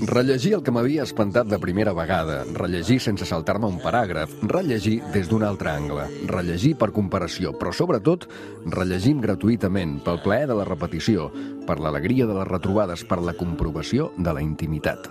Rellegir el que m'havia espantat de primera vegada, rellegir sense saltar-me un paràgraf, rellegir des d'un altre angle, rellegir per comparació, però sobretot rellegim gratuïtament, pel plaer de la repetició, per l'alegria de les retrobades, per la comprovació de la intimitat.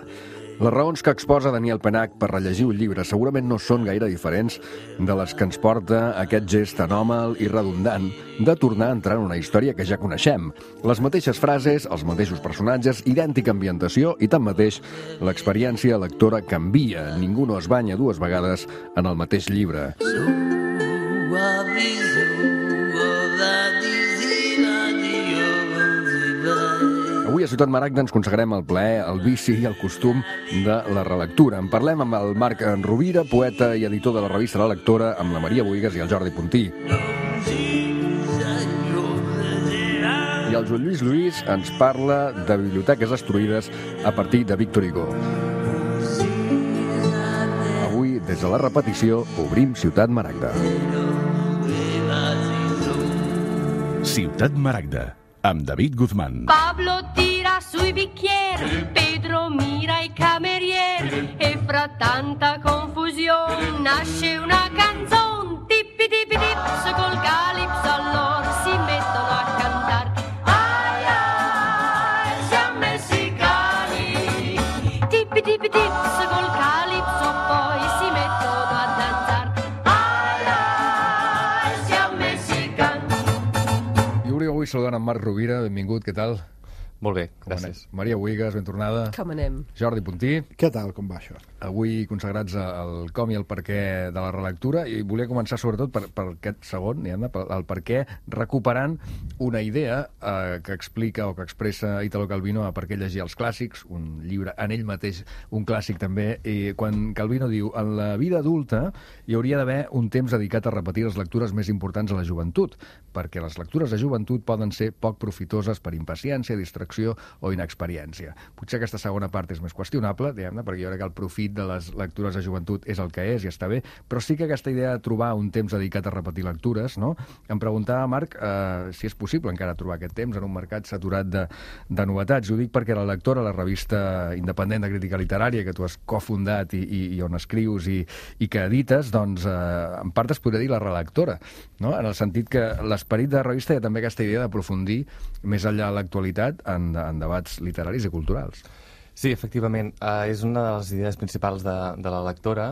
Les raons que exposa Daniel Penach per rellegir un llibre segurament no són gaire diferents de les que ens porta aquest gest anòmal i redundant de tornar a entrar en una història que ja coneixem. Les mateixes frases, els mateixos personatges, idèntica ambientació i, tanmateix, l'experiència lectora canvia. Ningú no es banya dues vegades en el mateix llibre. Avui a Ciutat Maragda ens consagrem el plaer, el vici i el costum de la relectura. En parlem amb el Marc Rovira, poeta i editor de la revista La Lectora, amb la Maria Buigas i el Jordi Puntí. I el Joan Lluís ens parla de biblioteques destruïdes a partir de Víctor Hugo. Avui, des de la repetició, obrim Ciutat Maragda. Ciutat Maragda, amb David Guzmán. Pablo tira sui bicchieri, Pedro mira i camerieri e fra tanta confusione nasce una canzone. Tippi tippi tips col calipso allora si mettono a cantare. Ai ai, siamo messicani. Tippi tippi tips col calipso poi si mettono a danzare. Ai ai, siamo messicani. I avui saludant en Marc Rovira, benvingut, què tal? Molt bé, gràcies. Maria Buigas, ben tornada. Com anem? Jordi Puntí. Què tal, com va això? Avui consagrats al com i al perquè de la relectura, i volia començar sobretot per aquest segon, el perquè, recuperant una idea que explica o que expressa Italo Calvino a Per què llegir els clàssics, un llibre en ell mateix, un clàssic també, i quan Calvino diu en la vida adulta hi hauria d'haver un temps dedicat a repetir les lectures més importants a la joventut, perquè les lectures de joventut poden ser poc profitoses per impaciència, distracció o inexperiència. Potser aquesta segona part és més qüestionable, perquè jo crec que el profit de les lectures de joventut és el que és i està bé, però sí que aquesta idea de trobar un temps dedicat a repetir lectures, no? Em preguntava, Marc, si és possible encara trobar aquest temps en un mercat saturat de novetats. Ho dic perquè La Lectora, la revista independent de crítica literària que tu has cofundat i on escrius i que edites, doncs en part es podria dir la relectora, no? En el sentit que l'esperit de la revista hi ha també aquesta idea d'aprofundir més enllà de l'actualitat en debats literaris i culturals. Sí, efectivament, és una de les idees principals de La Lectora,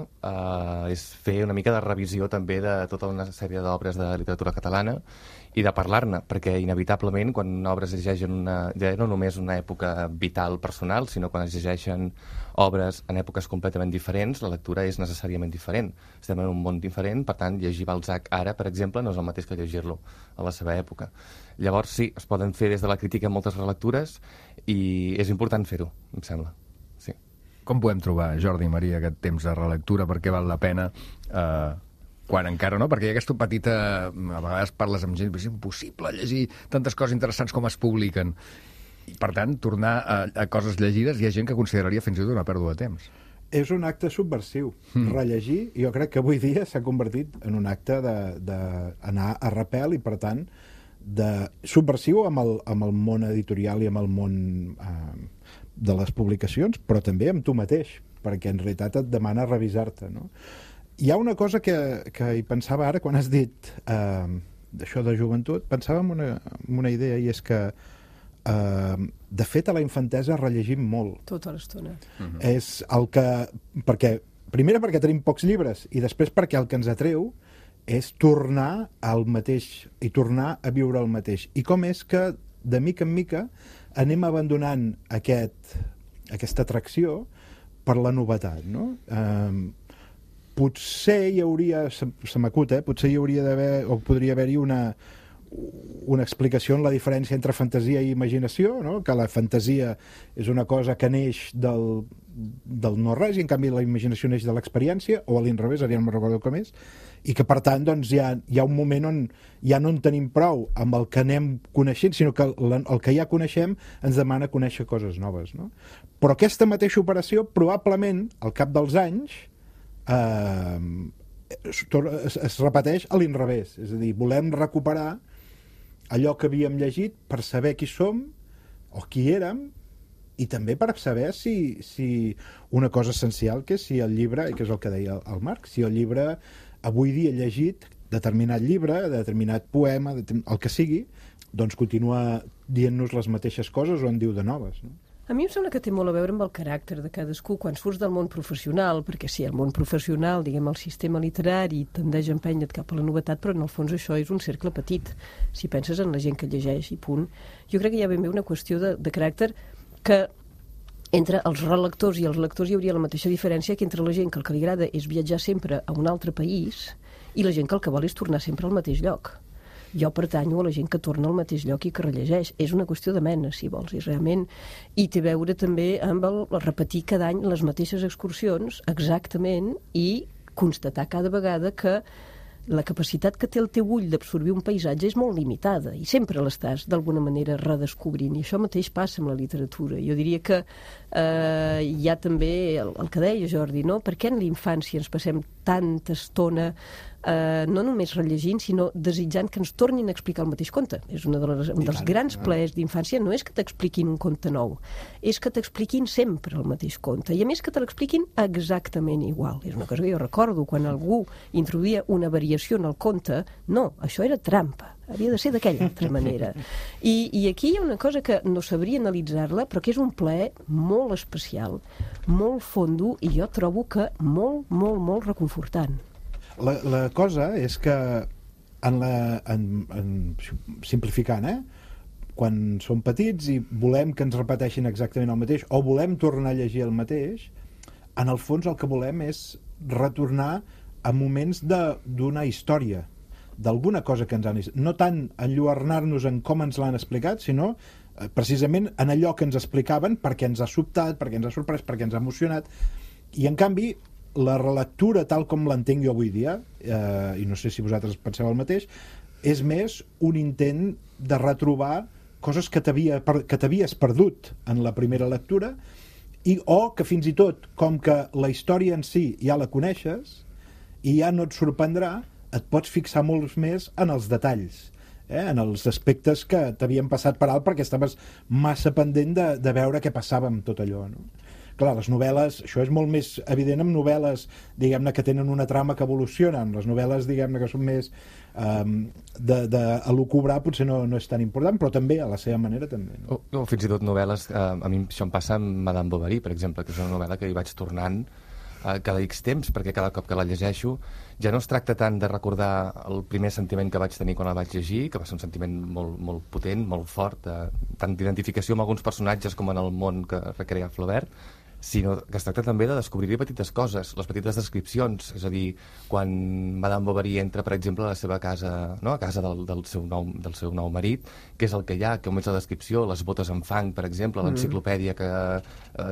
és fer una mica de revisió també de tota una sèrie d'obres de literatura catalana i de parlar-ne, perquè inevitablement quan una obra es llegeix ja no només una època vital personal, sinó quan es llegeixen obres en èpoques completament diferents, la lectura és necessàriament diferent. Estem en un món diferent, per tant, llegir Balzac ara, per exemple, no és el mateix que llegir-lo a la seva època. Llavors, sí, es poden fer des de la crítica moltes relectures i és important fer-ho, em sembla. Sí. Com podem trobar, Jordi i Maria, aquest temps de relectura? Per què val la pena quan encara no? Perquè hi ha aquesta petita... A vegades parles amb gent, és impossible llegir tantes coses interessants com es publiquen. I, per tant, tornar a coses llegides, hi ha gent que consideraria fins i tot una pèrdua de temps. És un acte subversiu. Rellegir, jo crec que avui dia s'ha convertit en un acte d'anar a repel i, per tant, subversiu amb el món editorial i amb el món de les publicacions, però també amb tu mateix, perquè en realitat et demana revisar-te, no? Hi ha una cosa que hi pensava ara, quan has dit d'això de joventut, pensava en una idea, i és que de fet a la infantesa rellegim molt. Tota l'estona. És el que... Primer perquè tenim pocs llibres, i després perquè el que ens atreu és tornar al mateix i tornar a viure el mateix. I com és que, de mica en mica, anem abandonant aquesta atracció per la novetat, no? Potser hi hauria, se m'acut, potser hi hauria d'haver, o podria haver-hi una explicació en la diferència entre fantasia i imaginació, no? Que la fantasia és una cosa que neix del no res, i en canvi la imaginació neix de l'experiència, o a l'inrevés, ara ja no me'n recordo com és, i que per tant doncs, hi ha un moment on ja no en tenim prou amb el que anem coneixent, sinó que el que ja coneixem ens demana conèixer coses noves, no? Però aquesta mateixa operació, probablement, al cap dels anys, es repeteix a l'inrevés, és a dir, volem recuperar allò que havíem llegit per saber qui som o qui érem i també per saber si una cosa essencial, que és si el llibre, i que és el que deia el Marc, si el llibre avui dia llegit, determinat llibre, determinat poema, el que sigui, doncs continua dient-nos les mateixes coses o en diu de noves, no? A mi em sembla que té molt a veure amb el caràcter de cadascú quan surts del món professional, perquè sí, el món professional, diguem, el sistema literari tendeix a empènyer cap a la novetat, però en el fons això és un cercle petit, si penses en la gent que llegeix i punt. Jo crec que hi ha ben bé una qüestió de caràcter que entre els relectors i els lectors hi hauria la mateixa diferència que entre la gent que el que li agrada és viatjar sempre a un altre país i la gent que el que vol és tornar sempre al mateix lloc. Jo pertanyo a la gent que torna al mateix lloc i que rellegeix. És una qüestió de mena, si vols, és realment... I té a veure també amb el repetir cada any les mateixes excursions exactament i constatar cada vegada que la capacitat que té el teu ull d'absorbir un paisatge és molt limitada i sempre l'estàs d'alguna manera redescobrint, i això mateix passa amb la literatura. Jo diria que hi ha també el que deia Jordi, no? Per què en la infància ens passem tanta estona no només rellegint, sinó desitjant que ens tornin a explicar el mateix conte? És un dels grans plaers d'infància, no és que t'expliquin un conte nou, és que t'expliquin sempre el mateix conte, i a més que te l'expliquin exactament igual. És una cosa que jo recordo, quan algú introduïa una variació en el conte, no, això era trampa, havia de ser d'aquella altra manera. I aquí hi ha una cosa que no sabria analitzar-la, però que és un plaer molt especial, molt fondo, i jo trobo que molt, molt, molt reconfortant. La cosa és que simplificant, quan som petits i volem que ens repeteixin exactament el mateix o volem tornar a llegir el mateix, en el fons el que volem és retornar a moments d'una història, d'alguna cosa que ens han... No tant enlluernar-nos en com ens l'han explicat, sinó precisament en allò que ens explicaven, perquè ens ha sobtat, perquè ens ha sorprès, perquè ens ha emocionat. I en canvi la relectura tal com l'entenc jo avui dia, i no sé si vosaltres penseu el mateix, és més un intent de retrobar coses que t'havies perdut en la primera lectura, o que fins i tot, com que la història en si ja la coneixes i ja no et sorprendrà, et pots fixar molts més en els detalls, en els aspectes que t'havien passat per alt perquè estaves massa pendent de veure què passava amb tot allò, no? Clar, les novel·les, això és molt més evident amb novel·les, diguem-ne, que tenen una trama que evolucionen. Les novel·les, diguem-ne, que són més d'elucubrar, potser no és tan important, però també, a la seva manera, també. No? O fins i tot novel·les, a mi això em passa amb Madame Bovary, per exemple, que és una novel·la que hi vaig tornant cada X temps, perquè cada cop que la llegeixo ja no es tracta tant de recordar el primer sentiment que vaig tenir quan la vaig llegir, que va ser un sentiment molt, molt potent, molt fort, tant d'identificació amb alguns personatges com en el món que recrea Flaubert, sinó que es tracta també de descobrir petites coses, les petites descripcions, és a dir, quan Madame Bovary entra, per exemple, a la seva casa, no? A casa del seu nou marit, què és el que hi ha, com és la descripció, les botes amb fang, per exemple, l'enciclopèdia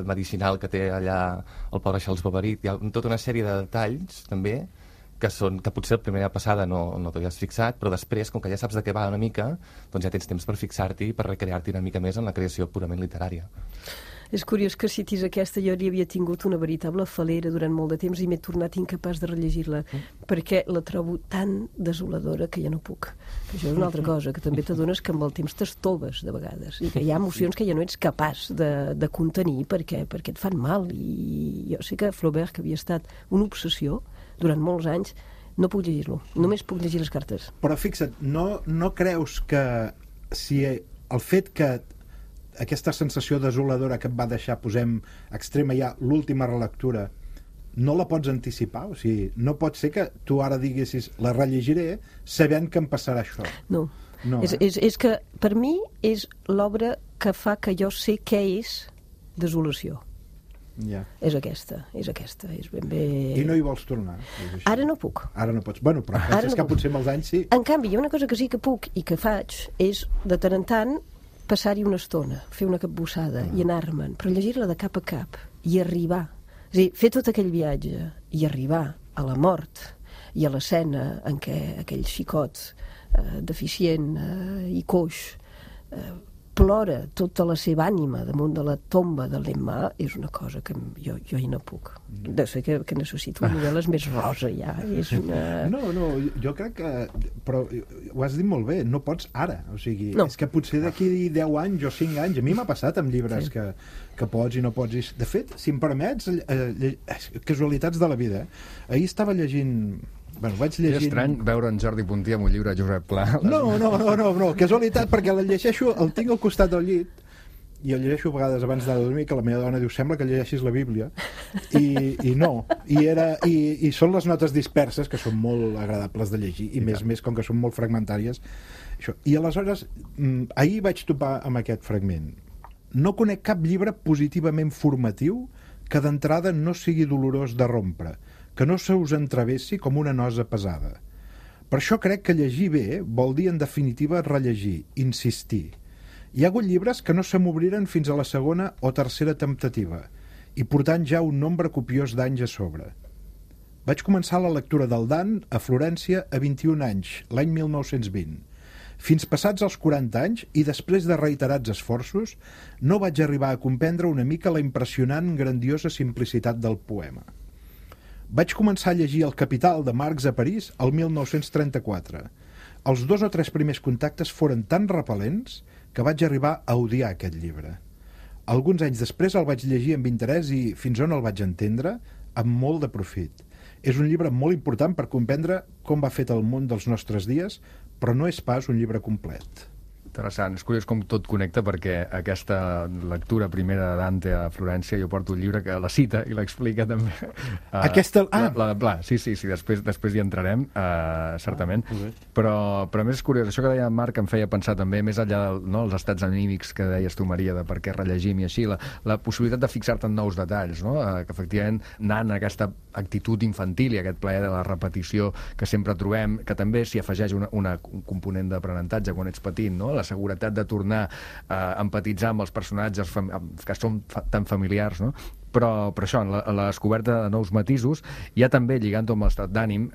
medicinal que té allà el pobre Charles Bovary. Hi ha tota una sèrie de detalls, també, que potser la primera passada no t'hi has fixat, però després, com que ja saps de què va una mica, doncs ja tens temps per fixar-t'hi i per recrear-t'hi una mica més en la creació purament literària. És curiós que citis aquesta, jo li havia tingut una veritable falera durant molt de temps i m'he tornat incapaç de rellegir-la, perquè la trobo tan desoladora que ja no puc. Això és una altra cosa, que també t'adones que amb el temps t'estoves de vegades, i que hi ha emocions que ja no ets capaç de contenir perquè et fan mal. I jo sé que Flaubert, que havia estat una obsessió durant molts anys, no puc llegir-lo, només puc llegir les cartes. Però fixa't, no creus que si el fet que aquesta sensació desoladora que et va deixar, posem extrema ja l'última relectura, no la pots anticipar? O sigui, no pot ser que tu ara diguessis la rellegiré sabent que em passarà això. No. És que per mi és l'obra que fa que jo sé què és desolació. Ja. És aquesta, és ben bé... I no hi vols tornar? Ara no puc. Ara no pots. Bueno, però penses que potser amb els anys sí. En canvi, hi ha una cosa que sí que puc i que faig, és de tant en tant passar-hi una estona, fer una capbussada i anar-me'n, però llegir-la de cap a cap i arribar, és a dir, fer tot aquell viatge i arribar a la mort i a l'escena en què aquell xicot deficient i coix plora tota la seva ànima damunt de la tomba de l'Emma, és una cosa que jo hi no puc. Deu ser que necessito novel·les més rosa, ja. És una... No, jo crec que... Però ho has dit molt bé, no pots ara. O sigui, no. És que potser d'aquí 10 anys o 5 anys, a mi m'ha passat amb llibres que pots i no pots. De fet, si em permets, casualitats de la vida. Ahir estava llegint... Bueno, vaig llegint... És estrany veure en Jordi Puntí amb un llibre de Josep Pla. No, casualitat, perquè el llegeixo, el tinc al costat del llit, i el llegeixo a vegades abans de dormir, que la meva dona diu, sembla que llegeixis la Bíblia, i no. I són les notes disperses, que són molt agradables de llegir, i més com que són molt fragmentàries. Això. I aleshores, ahir vaig topar amb aquest fragment. No conec cap llibre positivament formatiu que d'entrada no sigui dolorós de rompre, que no se us entravessi com una nosa pesada. Per això crec que llegir bé vol dir, en definitiva, rellegir, insistir. Hi ha hagut llibres que no se m'obriren fins a la segona o tercera temptativa, i portant ja un nombre copiós d'anys a sobre. Vaig començar la lectura del Dan a Florència a 21 anys, l'any 1920. Fins passats els 40 anys, i després de reiterats esforços, no vaig arribar a comprendre una mica la impressionant, grandiosa simplicitat del poema. Vaig començar a llegir El Capital de Marx a París el 1934. Els 2 o 3 primers contactes foren tan repel·lents que vaig arribar a odiar aquest llibre. Alguns anys després el vaig llegir amb interès i, fins on el vaig entendre, amb molt de profit. És un llibre molt important per comprendre com va fet el món dels nostres dies, però no és pas un llibre complet. Interessant, és curiós com tot connecta, perquè aquesta lectura primera de Dante a Florència, jo porto un llibre que la cita i l'explica també. Aquesta... La de Pla, sí, després hi entrarem, certament. Però a més és curiós, això que deia Marc em feia pensar també, més enllà dels estats anímics que deies tu, Maria, de per què rellegim i així, la possibilitat de fixar-te en nous detalls, no? Que efectivament anant a aquesta actitud infantil i aquest plaer de la repetició que sempre trobem, que també s'hi afegeix un component d'aprenentatge quan ets petit, no? La seguretat de tornar a empatitzar amb els personatges que són tan familiars, no? Però això, en la descoberta de nous matisos, ja també lligant-ho amb l'estat d'ànim,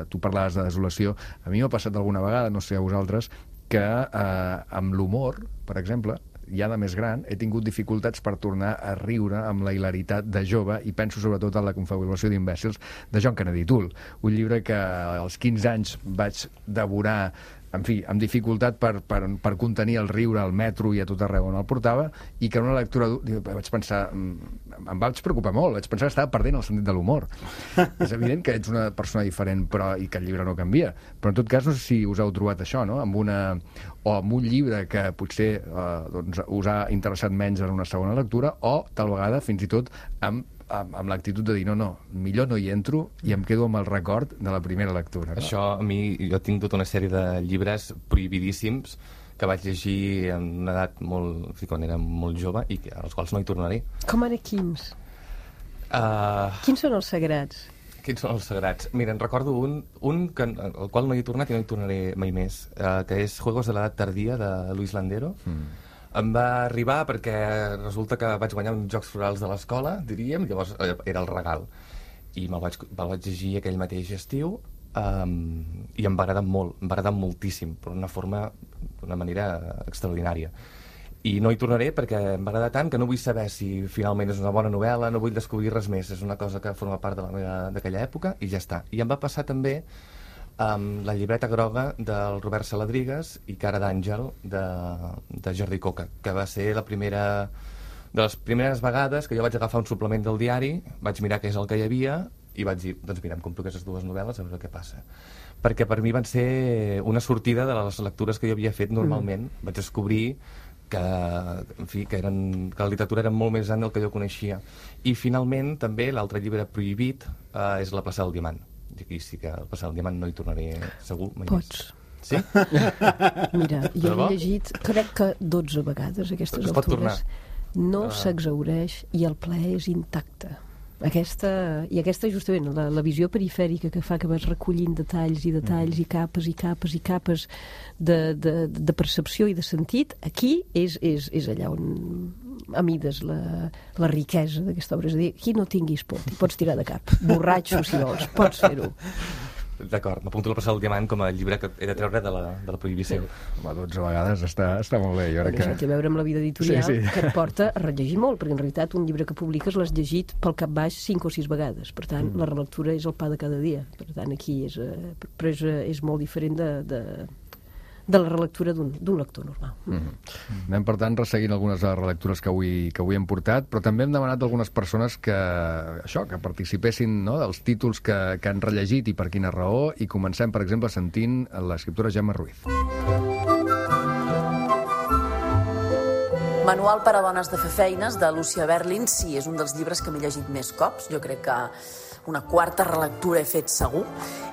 tu parlaves de desolació, a mi m'ha passat alguna vegada, no sé a vosaltres, que amb l'humor, per exemple, ja de més gran, he tingut dificultats per tornar a riure amb la hilaritat de jove, i penso sobretot en La confabulació d'imbècils de John Kennedy Toole, un llibre que als 15 anys vaig devorar, en fi, amb dificultat per contenir el riure al metro i a tot arreu on el portava, i que en una lectura vaig pensar, em vaig preocupar molt, vaig pensar que estava perdent el sentit de l'humor. És evident que ets una persona diferent, i que el llibre no canvia, però en tot cas no sé si us heu trobat això, no? Amb un llibre que potser us ha interessat menys en una segona lectura, o tal vegada fins i tot amb l'actitud de dir no, millor no hi entro i em quedo amb el record de la primera lectura. No? Això, a mi, jo tinc tota una sèrie de llibres prohibidíssims que vaig llegir en una edat quan era molt jove i als quals no hi tornaré. Com ara quins? Quins són els sagrats? Quins són els sagrats? Mira, en recordo un al qual no hi he tornat i no hi tornaré mai més, que és Juegos de l'edat tardía, de Luis Landero. Em va arribar perquè resulta que vaig guanyar uns Jocs Florals de l'escola, diríem, llavors era el regal. I me'l vaig llegir aquell mateix estiu, i em va agradar molt, em va agradar moltíssim, d'una manera extraordinària. I no hi tornaré perquè em va agradar tant que no vull saber si finalment és una bona novel·la, no vull descobrir res més, és una cosa que forma part d'aquella època i ja està. I em va passar també amb La llibreta groga del Robert Saladrigas i Cara d'àngel de Jordi Coca, que va ser de les primeres vegades que jo vaig agafar un suplement del diari, vaig mirar què és el que hi havia i vaig dir, doncs mira, em compro aquestes 2 novel·les a veure què passa. Perquè per mi van ser una sortida de les lectures que jo havia fet normalment. Vaig descobrir que la literatura era molt més gran del que jo coneixia. I finalment també l'altre llibre prohibit és La plaça del Diamant. I aquí sí que al passar el Diamant no hi tornaré segur mai Pots. Més. Sí? Mira, jo he llegit, crec que 12 vegades aquestes altures. No s'exhaureix i el plaer és intacte. Aquesta justament, la visió perifèrica que fa que vas recollint detalls i detalls i capes i capes i capes de percepció i de sentit, aquí és allà on amides la riquesa d'aquesta obra. És a dir, aquí no tinguis por, t'hi pots tirar de cap. Borratxo, si vols, pots fer-ho. D'acord, m'apunto la Passada del Diamant com a llibre que he de treure de la prohibició. Home, 12 vegades està molt bé. Jo crec Això té a veure amb la vida editorial, Sí. que et porta a rellegir molt, perquè en realitat un llibre que publiques l'has llegit pel cap baix 5 o 6 vegades. Per tant, la relectura és el pa de cada dia. Per tant, aquí és molt diferent de la relectura d'un lector normal. Anem, per tant, resseguint algunes de les relectures que avui hem portat, però també hem demanat d'algunes persones que participessin, no?, dels títols que han rellegit i per quina raó, i comencem, per exemple, sentint l'escriptora Gemma Ruiz. Manual per a dones de fer feines, de Lucia Berlin, sí, és un dels llibres que m'he llegit més cops. Jo crec que una quarta relectura he fet segur.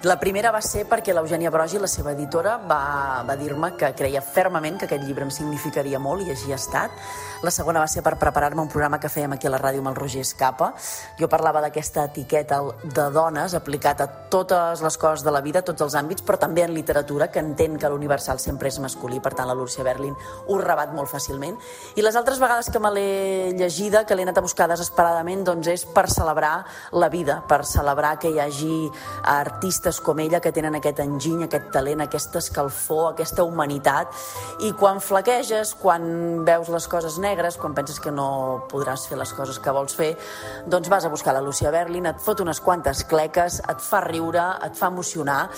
La primera va ser perquè l'Eugènia Brogi, la seva editora, va dir-me que creia fermament que aquest llibre em significaria molt, i així ha estat. La segona va ser per preparar-me un programa que fèiem aquí a la ràdio amb el Roger Escapa. Jo parlava d'aquesta etiqueta de dones aplicat a totes les coses de la vida, a tots els àmbits, però també en literatura, que entén que l'universal sempre és masculí, per tant la Lucia Berlin ho rebat molt fàcilment. I les altres vegades que me l'he llegida, que l'he anat a buscar desesperadament, doncs és per celebrar la vida, per celebrar que hi hagi artistes com ella que tenen aquest enginy, aquest talent, aquesta escalfor, aquesta humanitat, i quan flaqueges, quan veus les coses negres, quan penses que no podràs fer les coses que vols fer, doncs vas a buscar la Lucia Berlin, et fot unes quantes cleques, et fa riure, et fa emocionar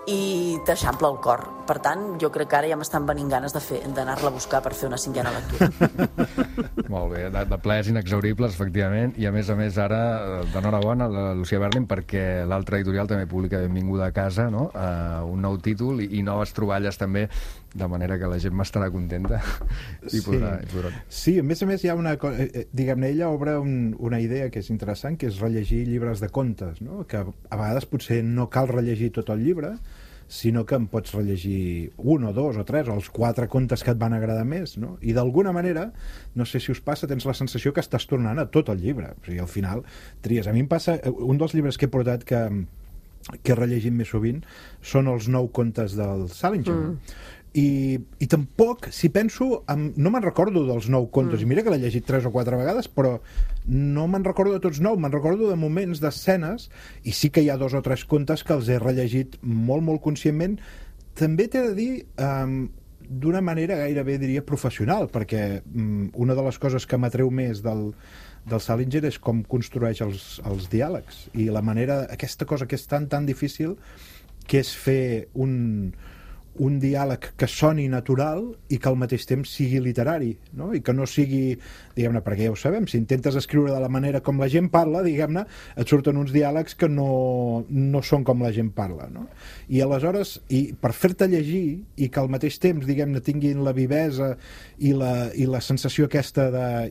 i t'eixampla el cor. Per tant, jo crec que ara ja m'estan venint ganes d'anar-la a buscar per fer una 5a lectura. Molt bé, de plaers inexhauribles, efectivament, i a més ara, d'enhorabona, la Lucia Berlin, perquè l'altra editorial també publica Benvinguda a casa, no?, un nou títol i noves troballes també, de manera que la gent m'estarà contenta i podrà... Sí, a més hi ha una cosa... Diguem-ne, ella obre una idea que és interessant, que és rellegir llibres de contes, no?, que a vegades potser no cal rellegir tot el llibre, sinó que en pots rellegir 1 o 2 o 3 o els 4 contes que et van agradar més, no? I d'alguna manera, no sé si us passa, tens la sensació que estàs tornant a tot el llibre. O sigui, al final tries. A mi em passa... Un dels llibres que he portat que he rellegit més sovint són els 9 contes del Salinger. I tampoc, si penso, no me'n recordo dels 9 contes, i mira que l'he llegit 3 o 4 vegades, però no me'n recordo de tots 9, me'n recordo de moments, d'escenes, i sí que hi ha 2 o 3 contes que els he rellegit molt, molt conscientment. També t'he de dir, d'una manera gairebé, diria, professional, perquè una de les coses que m'atreu més del Salinger és com construeix els diàlegs, i la manera, aquesta cosa que és tan difícil, que és fer un diàleg que soni natural i que al mateix temps sigui literari, no? I que no sigui, diguem-ne, perquè ja ho sabem, si intentes escriure de la manera com la gent parla, diguem-ne, et surten uns diàlegs que no són com la gent parla, no? I aleshores, per fer-te llegir i que al mateix temps, diguem-ne, tinguin la vivesa i la sensació aquesta de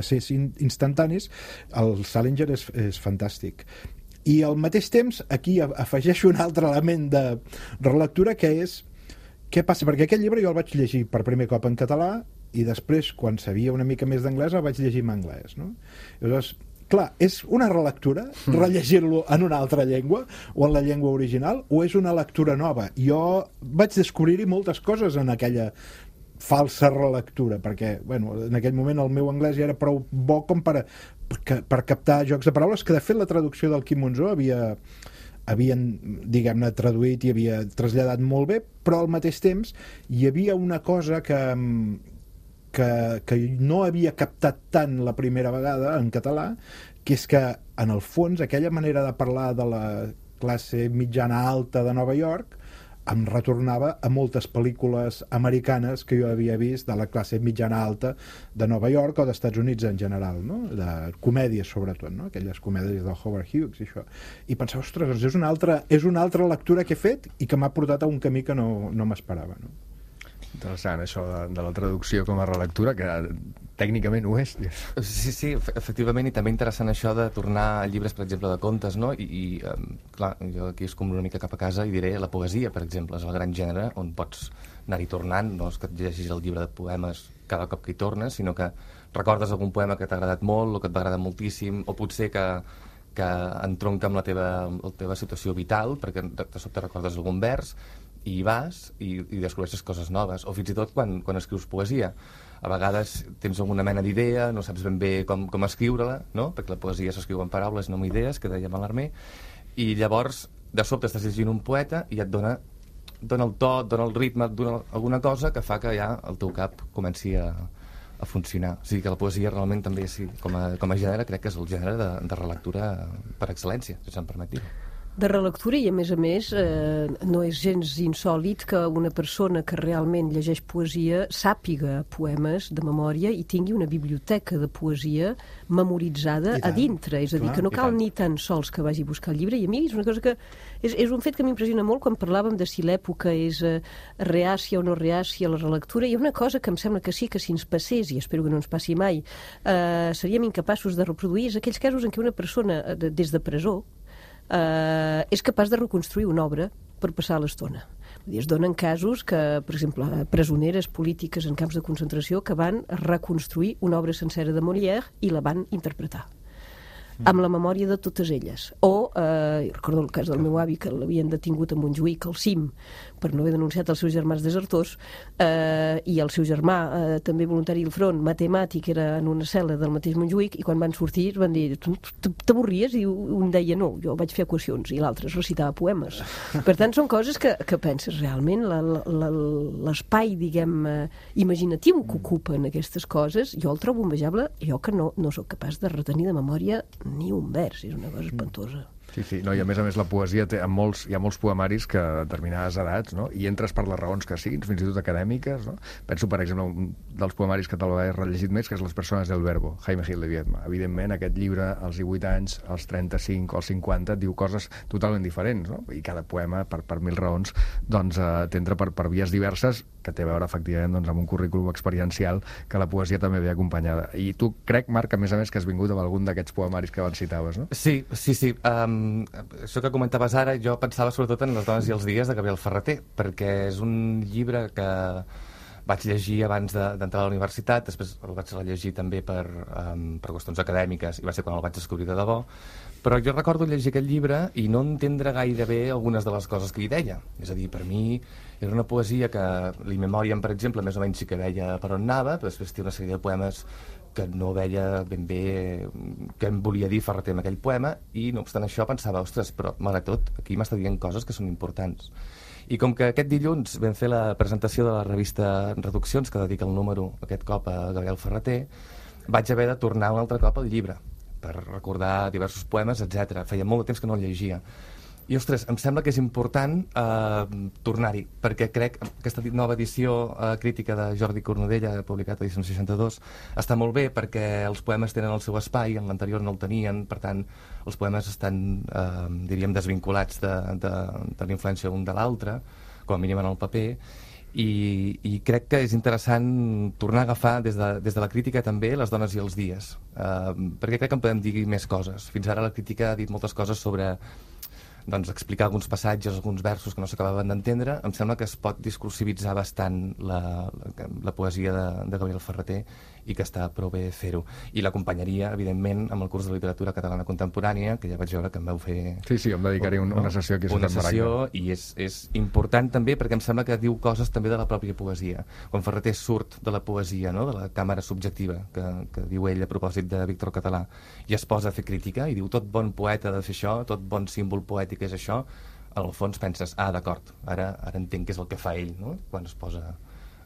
ser instantanis, el Salinger és fantàstic. I al mateix temps, aquí afegeixo un altre element de relectura, que és què passa, perquè aquest llibre jo el vaig llegir per primer cop en català i després, quan sabia una mica més d'anglès, el vaig llegir en anglès, no? Llavors, clar, és una relectura rellegir-lo en una altra llengua o en la llengua original, o és una lectura nova? Jo vaig descobrir-hi moltes coses en aquella falsa relectura, perquè, bueno, en aquell moment el meu anglès ja era prou bo com per captar jocs de paraules, que de fet la traducció del Quim Monzó havien, diguem-ne, traduït i havia traslladat molt bé, però al mateix temps hi havia una cosa que no havia captat tant la primera vegada en català, que és que, en el fons, aquella manera de parlar de la classe mitjana alta de Nova York em retornava a moltes pel·lícules americanes que jo havia vist de la classe mitjana alta de Nova York o d'Estats Units en general, no? De comèdies sobretot, no? Aquelles comèdies del Howard Hughes i això. I pensava, ostres, doncs és una altra lectura que he fet i que m'ha portat a un camí que no m'esperava, no? Interessant, això de la traducció com a relectura, que tècnicament ho és. Sí, efectivament, i també interessant això de tornar a llibres, per exemple, de contes, no? I clar, jo aquí és com una mica cap a casa i diré la poesia, per exemple, és el gran gènere on pots anar-hi tornant, no és que et llegis el llibre de poemes cada cop que hi tornes, sinó que recordes algun poema que t'ha agradat molt o que et va agradar moltíssim, o potser que entronca amb la teva situació vital, perquè de sobte recordes algun vers, i hi vas i descobreixes coses noves, o fins i tot quan escrius poesia. A vegades tens alguna mena d'idea, no saps ben bé com escriure-la, no? Perquè la poesia s'escriu en paraules, no amb idees, que deia Mallarmé, i llavors de sobte estàs llegint un poeta i et dona el to, et dona el ritme, et dona alguna cosa que fa que ja el teu cap comenci a funcionar. O sigui que la poesia realment també, sí, com a gènere, crec que és el gènere de relectura per excel·lència, si se'm permet dir-ho. De relectura i, a més, no és gens insòlit que una persona que realment llegeix poesia sàpiga poemes de memòria i tingui una biblioteca de poesia memoritzada a dintre. És a dir, que no cal ni tan sols que vagi a buscar el llibre. I a mi és una cosa que... És un fet que m'impressiona molt quan parlàvem de si l'època és reàcia o no reàcia a la relectura. Hi ha una cosa que em sembla que sí, que si ens passés, i espero que no ens passi mai, seríem incapaços de reproduir, és aquells casos en què una persona, des de presó, és capaç de reconstruir una obra per passar l'estona. Es donen casos que, per exemple, presoneres polítiques en camps de concentració que van reconstruir una obra sencera de Molière i la van interpretar amb la memòria de totes elles. O, recordo el cas del meu avi, que l'havien detingut a Montjuïc, al CIM, per no haver denunciat els seus germans desertors, i el seu germà, també voluntari al front, matemàtic, era en una cel·la del mateix Montjuïc, i quan van sortir van dir, tu t'avorries? I un deia, no, jo vaig fer equacions, i l'altre recitava poemes. Per tant, són coses que penses realment, l'espai, diguem, imaginatiu que ocupen aquestes coses, jo el trobo envejable, jo que no sóc capaç de retenir de memòria ni un vers, és una cosa espantosa. Sí, no, i a més la poesia hi ha molts poemaris que a determinades edats, no? I entres per les raons que siguin, fins i tot acadèmiques, no? Penso, per exemple, un dels poemaris que te'l he rellegit més, que és Les persones del verbo, Jaime Gil de Biedma. Evidentment, aquest llibre, als 18 anys, als 35 o als 50, diu coses totalment diferents, no? I cada poema, per mil raons, doncs t'entra per vies diverses, que té a veure, efectivament, doncs, amb un currículum experiencial que la poesia també ve acompanyada. I tu crec, Marc, a més, que has vingut amb algun d'aquests poemaris que abans citaves, no? Sí. Això que comentaves ara, jo pensava sobretot en Les dones i els dies de Gabriel Ferrater, perquè és un llibre que vaig llegir abans d'entrar a la universitat, després el vaig rellegir també per qüestions acadèmiques, i va ser quan el vaig descobrir de debò, però jo recordo llegir aquest llibre i no entendre gaire bé algunes de les coses que hi deia. És a dir, per mi era una poesia que l'In-Memoriam, per exemple, més o menys sí que veia per on anava, però després té una sèrie de poemes que no veia ben bé què em volia dir Ferrater amb aquell poema, i no obstant això pensava, ostres, però malgrat tot, aquí m'està dient coses que són importants. I com que aquest dilluns vam fer la presentació de la revista Reduccions, que dedica el número aquest cop a Gabriel Ferrater, vaig haver de tornar un altre cop al llibre per recordar diversos poemes, etc. Feia molt de temps que no el llegia. I, ostres, em sembla que és important tornar-hi, perquè crec que aquesta nova edició crítica de Jordi Cornudella, publicat a edició 62, està molt bé perquè els poemes tenen el seu espai, en l'anterior no el tenien, per tant, els poemes estan, diríem, desvinculats de la influència un de l'altre, com a mínim en el paper, i crec que és interessant tornar a agafar des de la crítica també Les dones i els dies, perquè crec que en podem dir més coses. Fins ara la crítica ha dit moltes coses sobre explicar alguns passatges, alguns versos que no s'acabaven d'entendre. Em sembla que es pot discursivitzar bastant la poesia de Gabriel Ferrater i que està prou bé fer-ho. I l'acompanyaria, evidentment, amb el curs de literatura catalana contemporània, que ja vaig veure que em vau fer... Sí, em dedicaré una sessió aquí a Ciutat Maragda. Una sessió, i és important també perquè em sembla que diu coses també de la pròpia poesia. Quan Ferrater surt de la poesia, no?, de la càmera subjectiva, que diu ell a propòsit de Víctor Català, i es posa a fer crítica, i diu tot bon poeta ha de fer això, tot bon símbol poètic és això, al fons penses, d'acord, ara entenc què és el que fa ell, no?, quan es posa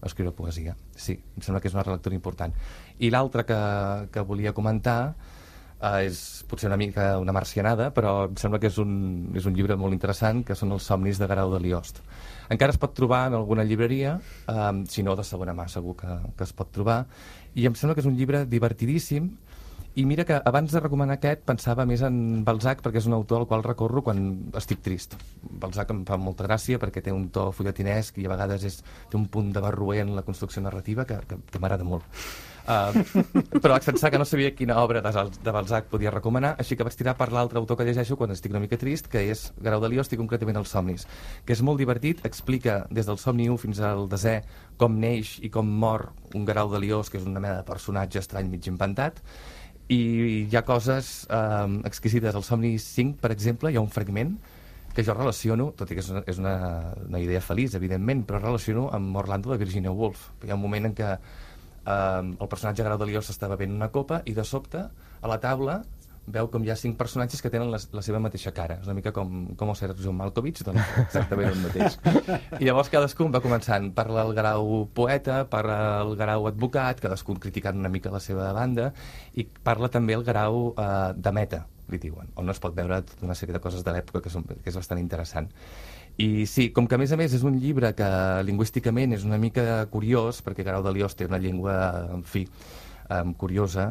a escriure poesia. Sí, em sembla que és una relectura important. I l'altre que volia comentar és potser una mica una marcianada, però em sembla que és un llibre molt interessant, que són Els somnis de Guerau de Liost. Encara es pot trobar en alguna llibreria, si no de segona mà segur que es pot trobar, i em sembla que és un llibre divertidíssim. I mira que abans de recomanar aquest pensava més en Balzac, perquè és un autor al qual recorro quan estic trist. Balzac em fa molta gràcia perquè té un to fulletinesc i a vegades té un punt de barroer en la construcció narrativa que m'agrada molt. Però vaig pensar que no sabia quina obra de Balzac podia recomanar, així que vaig tirar per l'altre autor que llegeixo quan estic una mica trist, que és Guerau de Liost, i concretament Els somnis, que és molt divertit, explica des del somni 1 fins al desè com neix i com mor un Guerau de Liost, que és una mena de personatge estrany mig inventat. I hi ha coses exquisites. Al somni 5, per exemple, hi ha un fragment que jo relaciono, tot i que és una idea feliç, evidentment, però relaciono amb Orlando de Virginia Woolf. Hi ha un moment en què el personatge Guerau de Liost està bevent una copa i de sobte a la taula veu com hi ha 5 personatges que tenen la seva mateixa cara. És una mica com el Sergio Malkovich, doncs exactament el mateix. I llavors cadascun va començant. Parla el grau poeta, parla el grau advocat, cadascun criticant una mica la seva banda, i parla també el grau de meta, li diuen, on no es pot veure tota una sèrie de coses de l'època que és bastant interessant. I sí, com que a més és un llibre que lingüísticament és una mica curiós, perquè Guerau de Liost té una llengua, en fi, curiosa,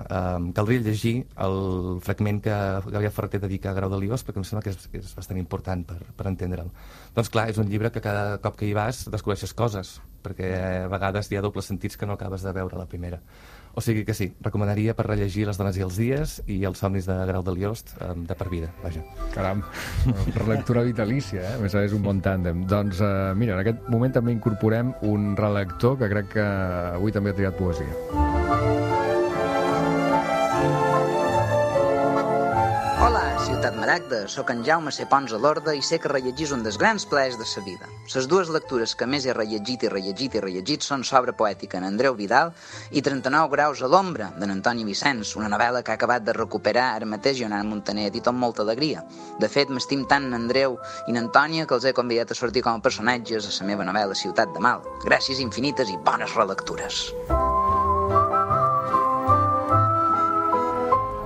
caldria llegir el fragment que Gabriel Ferreter dedica a Guerau de Liost, perquè em sembla que és bastant important per entendre'l. Doncs clar, és un llibre que cada cop que hi vas descobreixes coses, perquè a vegades hi ha dobles sentits que no acabes de veure a la primera. O sigui que sí, recomanaria per rellegir Les dones i els dies i Els somnis de Guerau de Liost de per vida, vaja. Caram, relectura vitalícia, eh? A més, és un bon tàndem. Doncs mira, en aquest moment també incorporem un relector que crec que avui també ha triat poesia. Hola, Ciutat Maragda, sóc en Jaume C. Pons a l'Orde i sé que rellegir un dels grans plaers de sa vida. Les dues lectures que més he rellegit són S'obra poètica en Andreu Vidal i 39 graus a l'ombra d'en Antoni Vicenç, una novel·la que ha acabat de recuperar ara mateix Joan Montaner i tot amb molta alegria. De fet, m'estim tant en Andreu i en Antònia que els he convidat a sortir com a personatges a la meva novel·la Ciutat de Mal. Gràcies infinites i bones relectures.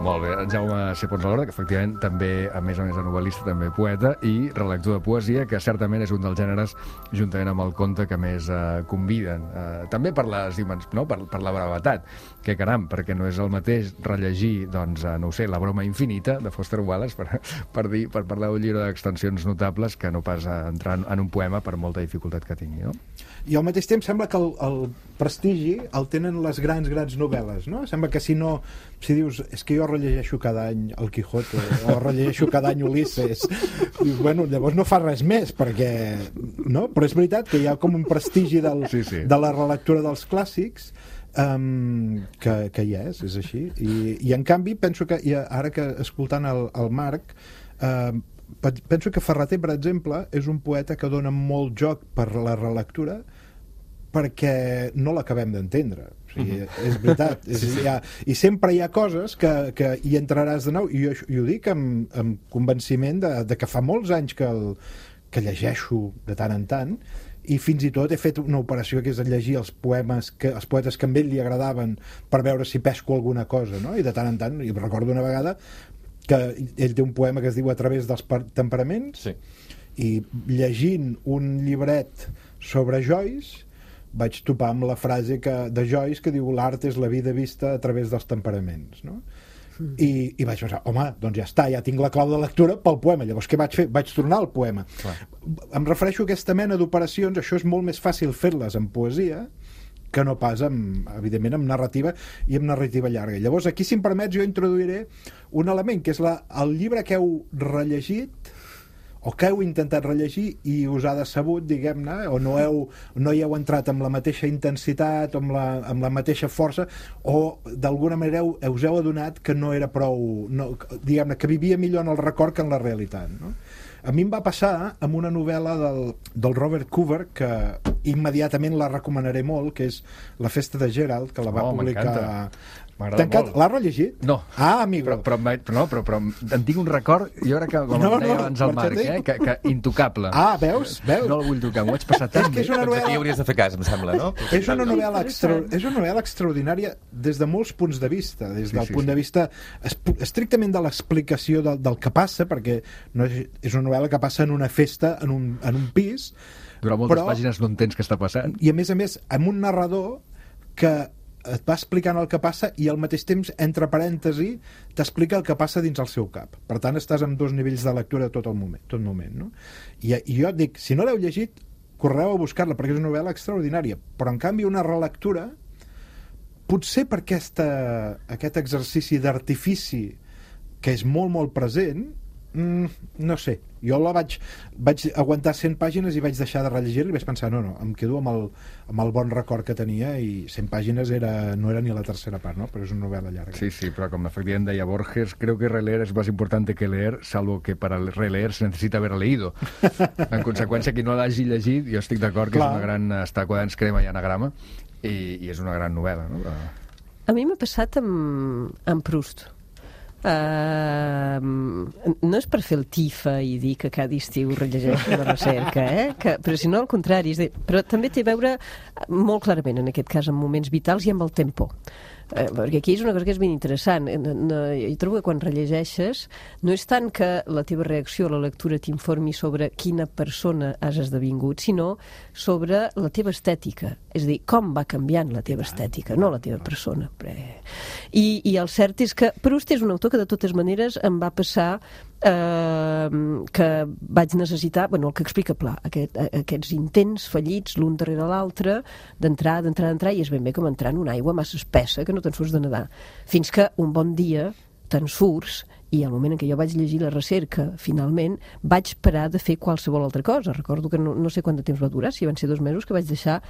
Molt bé, en Jaume C. Pons a l'Orde, que efectivament també, a més de novel·lista, també poeta i relector de poesia, que certament és un dels gèneres, juntament amb el conte, que més conviden. També per les no? per la brevetat, que caram, perquè no és el mateix rellegir, doncs, no ho sé, La broma infinita, de Foster Wallace, per parlar d'un llibre d'extensions notables, que no pas entrar en un poema per molta dificultat que tingui, no? I al mateix temps sembla que el prestigi el tenen les grans novel·les, no? Sembla que si dius, és que jo rellegeixo cada any el Quijote o rellegeixo cada any Ulisses, dius, bueno, llavors no fa res més, perquè, no? Però és veritat que hi ha com un prestigi de la relectura dels clàssics que hi és així. I en canvi, penso que, ara que escoltant el Marc, penso que Ferreter, per exemple, és un poeta que dona molt joc per la relectura perquè no l'acabem d'entendre. O sigui, és veritat. I sempre hi ha coses que hi entraràs de nou, i jo ho dic amb convenciment de que fa molts anys que llegeixo de tant en tant, i fins i tot he fet una operació que és llegir els poetes que a ell li agradaven per veure si pesco alguna cosa, no? I de tant en tant, i recordo una vegada que ell té un poema que es diu A través dels temperaments, sí. I llegint un llibret sobre Joyce vaig topar amb la frase de Joyce que diu l'art és la vida vista a través dels temperaments, no? I vaig pensar, home, doncs ja està, ja tinc la clau de lectura pel poema. Llavors què vaig fer? Vaig tornar al poema. Clar. Em refereixo a aquesta mena d'operacions, això és molt més fàcil fer-les en poesia que no pas, evidentment, amb narrativa i amb narrativa llarga. Llavors, aquí, si em permets, jo introduiré un element, que és el llibre que heu rellegit o que heu intentat rellegir i us ha decebut, diguem-ne, o no hi heu entrat amb la mateixa intensitat o amb la mateixa força, o d'alguna manera us heu adonat que no era prou, diguem-ne, que vivia millor en el record que en la realitat, no? A mi em va passar amb una novel·la del Robert Coover, que immediatament la recomanaré molt, que és La festa de Gerald, que la va publicar... M'agrada molt. L'has rellegit? No. Ah, amigo. Però en tinc un record, jo crec que, com em deia abans el Marc, que intocable. Ah, veus? No el vull tocar, m'ho vaig passar tan bé. Aquí hauries de fer cas, em sembla, no? És una novel·la extraordinària des de molts punts de vista, des del punt de vista estrictament de l'explicació del que passa, perquè no és una novel·la que passa en una festa, en un pis. Durant moltes pàgines no entens què està passant. I a més, amb un narrador que et va explicant el que passa i al mateix temps, entre parèntesi, t'explica el que passa dins el seu cap. Per tant, estàs amb dos nivells de lectura tot moment, no? I jo et dic, si no l'heu llegit, correu a buscar-la, perquè és una novel·la extraordinària. Però, en canvi, una relectura, potser per aquest exercici d'artifici que és molt, molt present, no sé, jo vaig aguantar 100 pàgines i vaig deixar de rellegir-la i vaig pensar, no, em quedo amb el bon record que tenia, i 100 pàgines no era ni la tercera part, no? Però és una novel·la llarga. Sí, però com efectivament deia Borges, creo que releer es más importante que leer, salvo que para releer se necesita haber leído. En conseqüència, qui no l'hagi llegit, jo estic d'acord que és una gran... Està a quadrants crema i anagrama, i és una gran novel·la, no? A mi m'ha passat amb Proust. no és per fer el tifa i dir que cada estiu rellegeixo la recerca, però si no al contrari, però també té a veure molt clarament en aquest cas amb moments vitals i amb el tempo. Perquè aquí és una cosa que és ben interessant. Jo trobo que quan rellegeixes no és tant que la teva reacció a la lectura t'informi sobre quina persona has esdevingut, sinó sobre la teva estètica, és a dir, com va canviant la teva estètica, no la teva persona. I el cert és que Proust és un autor que de totes maneres em va passar que vaig necessitar, el que explica Pla, aquests intents fallits l'un darrere l'altre d'entrar, i és ben bé com entrar en una aigua massa espessa que no te'n surts de nedar, fins que un bon dia te'n surts, i al moment en què jo vaig llegir la recerca, finalment, vaig parar de fer qualsevol altra cosa. Recordo que no sé quant de temps va durar, si van ser 2 mesos, que vaig deixar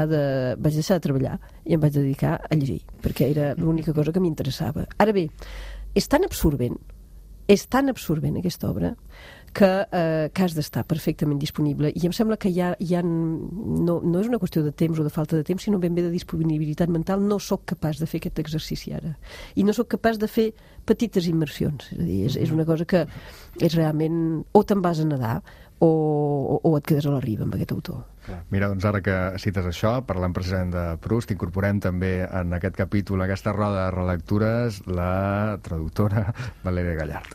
de treballar i em vaig dedicar a llegir, perquè era l'única cosa que m'interessava. Ara bé, és tan absorbent aquesta obra que has d'estar perfectament disponible, i em sembla que no és una qüestió de temps o de falta de temps, sinó ben bé de disponibilitat mental. No sóc capaç de fer aquest exercici ara, i no sóc capaç de fer petites immersions, és a dir, és una cosa que és realment, o te'n vas a nedar o et quedes a la riba amb aquest autor. Mira, doncs ara que cites això, parlant precisament de Proust, incorporem també en aquest capítol, aquesta roda de relectures, la traductora Valèria Gallard.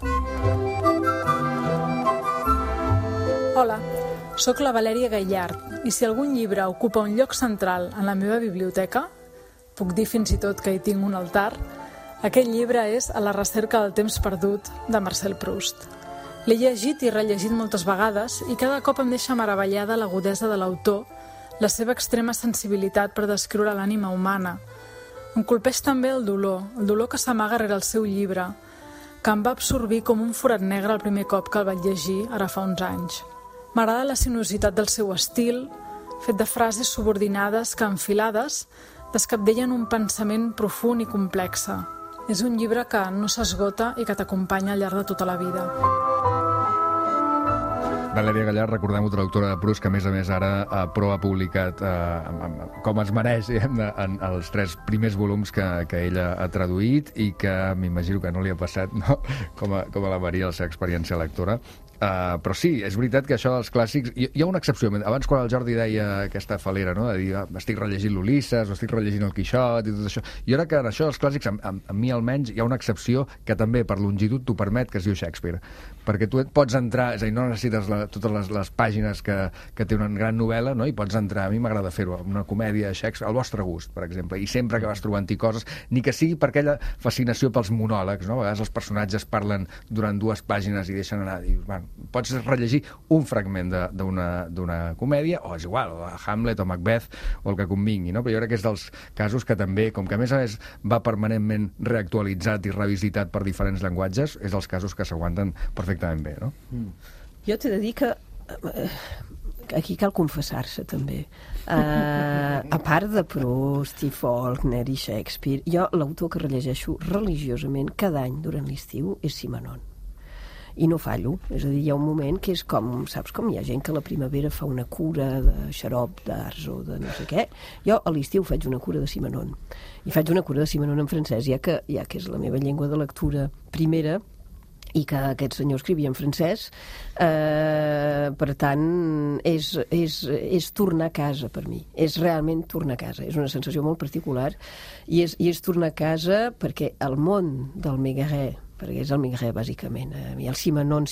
Hola, sóc la Valèria Gallard, i si algun llibre ocupa un lloc central en la meva biblioteca, puc dir fins i tot que hi tinc un altar, aquest llibre és A la recerca del temps perdut, de Marcel Proust. L'he llegit i rellegit moltes vegades i cada cop em deixa meravellada l'agudesa de l'autor, la seva extrema sensibilitat per descriure l'ànima humana. Em colpeix també el dolor que s'amaga rere el seu llibre, que em va absorbir com un forat negre el primer cop que el vaig llegir, ara fa uns anys. M'agrada la sinuositat del seu estil, fet de frases subordinades que, enfilades, descabdellen un pensament profund i complexe. És un llibre que no s'esgota i que t'acompanya al llarg de tota la vida. Valèria Gallard, recordem-ho, traductora de Proust, que a més ara Pro ha publicat com es mereix en els 3 primers volums que ella ha traduït, i que m'imagino que no li ha passat, no? Com a la Maria, la seva experiència lectora. Però sí, és veritat que això dels clàssics... Hi ha una excepció. Abans, quan el Jordi deia aquesta falera, no?, de dir, estic rellegint l'Ulisses o estic rellegint el Quixot i tot això, jo crec que en això dels clàssics, a mi almenys, hi ha una excepció que també per longitud t'ho permet, que es diu Shakespeare, perquè tu pots entrar, és a dir, no necessites totes les pàgines que té una gran novel·la, no?, i pots entrar, a mi m'agrada fer-ho, una comèdia de Shakespeare, al vostre gust, per exemple, i sempre que vas trobant-hi coses, ni que sigui per aquella fascinació pels monòlegs, no?, a vegades els personatges parlen durant 2 pàgines i deixen anar, dius, bueno, pots rellegir un fragment d'una comèdia, o és igual, o Hamlet o Macbeth, o el que convingui, no? Però jo crec que és dels casos que també, com que a més va permanentment reactualitzat i revisitat per diferents llenguatges, és dels casos que s'aguanten perfectament bé, no? Jo t'he de dir que aquí cal confessar-se també. A part de Proust i Faulkner i Shakespeare, jo l'autor que rellegeixo religiosament cada any durant l'estiu és Simenon. I no fallo, és a dir, hi ha un moment que és com, saps com hi ha gent que a la primavera fa una cura de xarop, d'arç o de no sé què, jo a l'estiu faig una cura de Simenon, i faig una cura de Simenon en francès, ja que és la meva llengua de lectura primera, i que aquest senyor escrivia en francès, per tant és tornar a casa per mi, és realment tornar a casa, és una sensació molt particular, i és tornar a casa perquè el món del Mégaré, perquè és el Mégaré bàsicament, el Simenon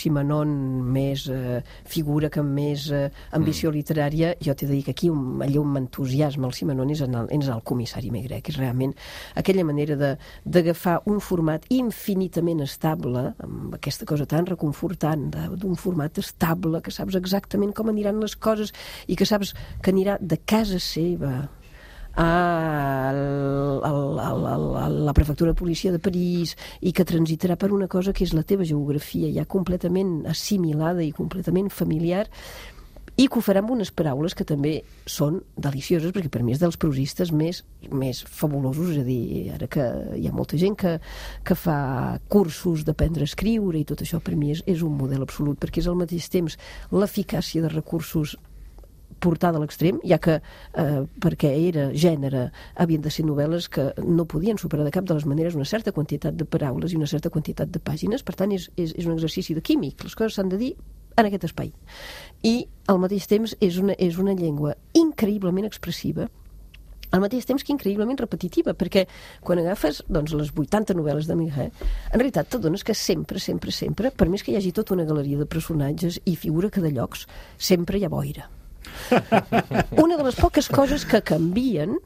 més figura que més ambició literària, jo t'he de dir que aquí allò on m'entusiasma el Simenon és en el comissari Maigret, que és realment aquella manera d'agafar un format infinitament estable, amb aquesta cosa tan reconfortant d'un format estable, que saps exactament com aniran les coses i que saps que anirà de casa seva a la prefectura de policia de París i que transitarà per una cosa que és la teva geografia ja completament assimilada i completament familiar, i que ho farà amb unes paraules que també són delicioses, perquè per mi és dels prosistes més fabulosos, és a dir, ara que hi ha molta gent que fa cursos d'aprendre a escriure i tot això, per mi és un model absolut, perquè és al mateix temps l'eficàcia de recursos portada a l'extrem, ja que perquè era gènere havien de ser novel·les que no podien superar de cap de les maneres una certa quantitat de paraules i una certa quantitat de pàgines, per tant és un exercici de químic, les coses s'han de dir en aquest espai. I al mateix temps és una llengua increïblement expressiva, al mateix temps que increïblement repetitiva, perquè quan agafes les 80 novel·les de Maigret, en realitat t'adones que sempre, per més que hi hagi tota una galeria de personatges i figura que de llocs, sempre hi ha boira. Una de les poques coses que canvien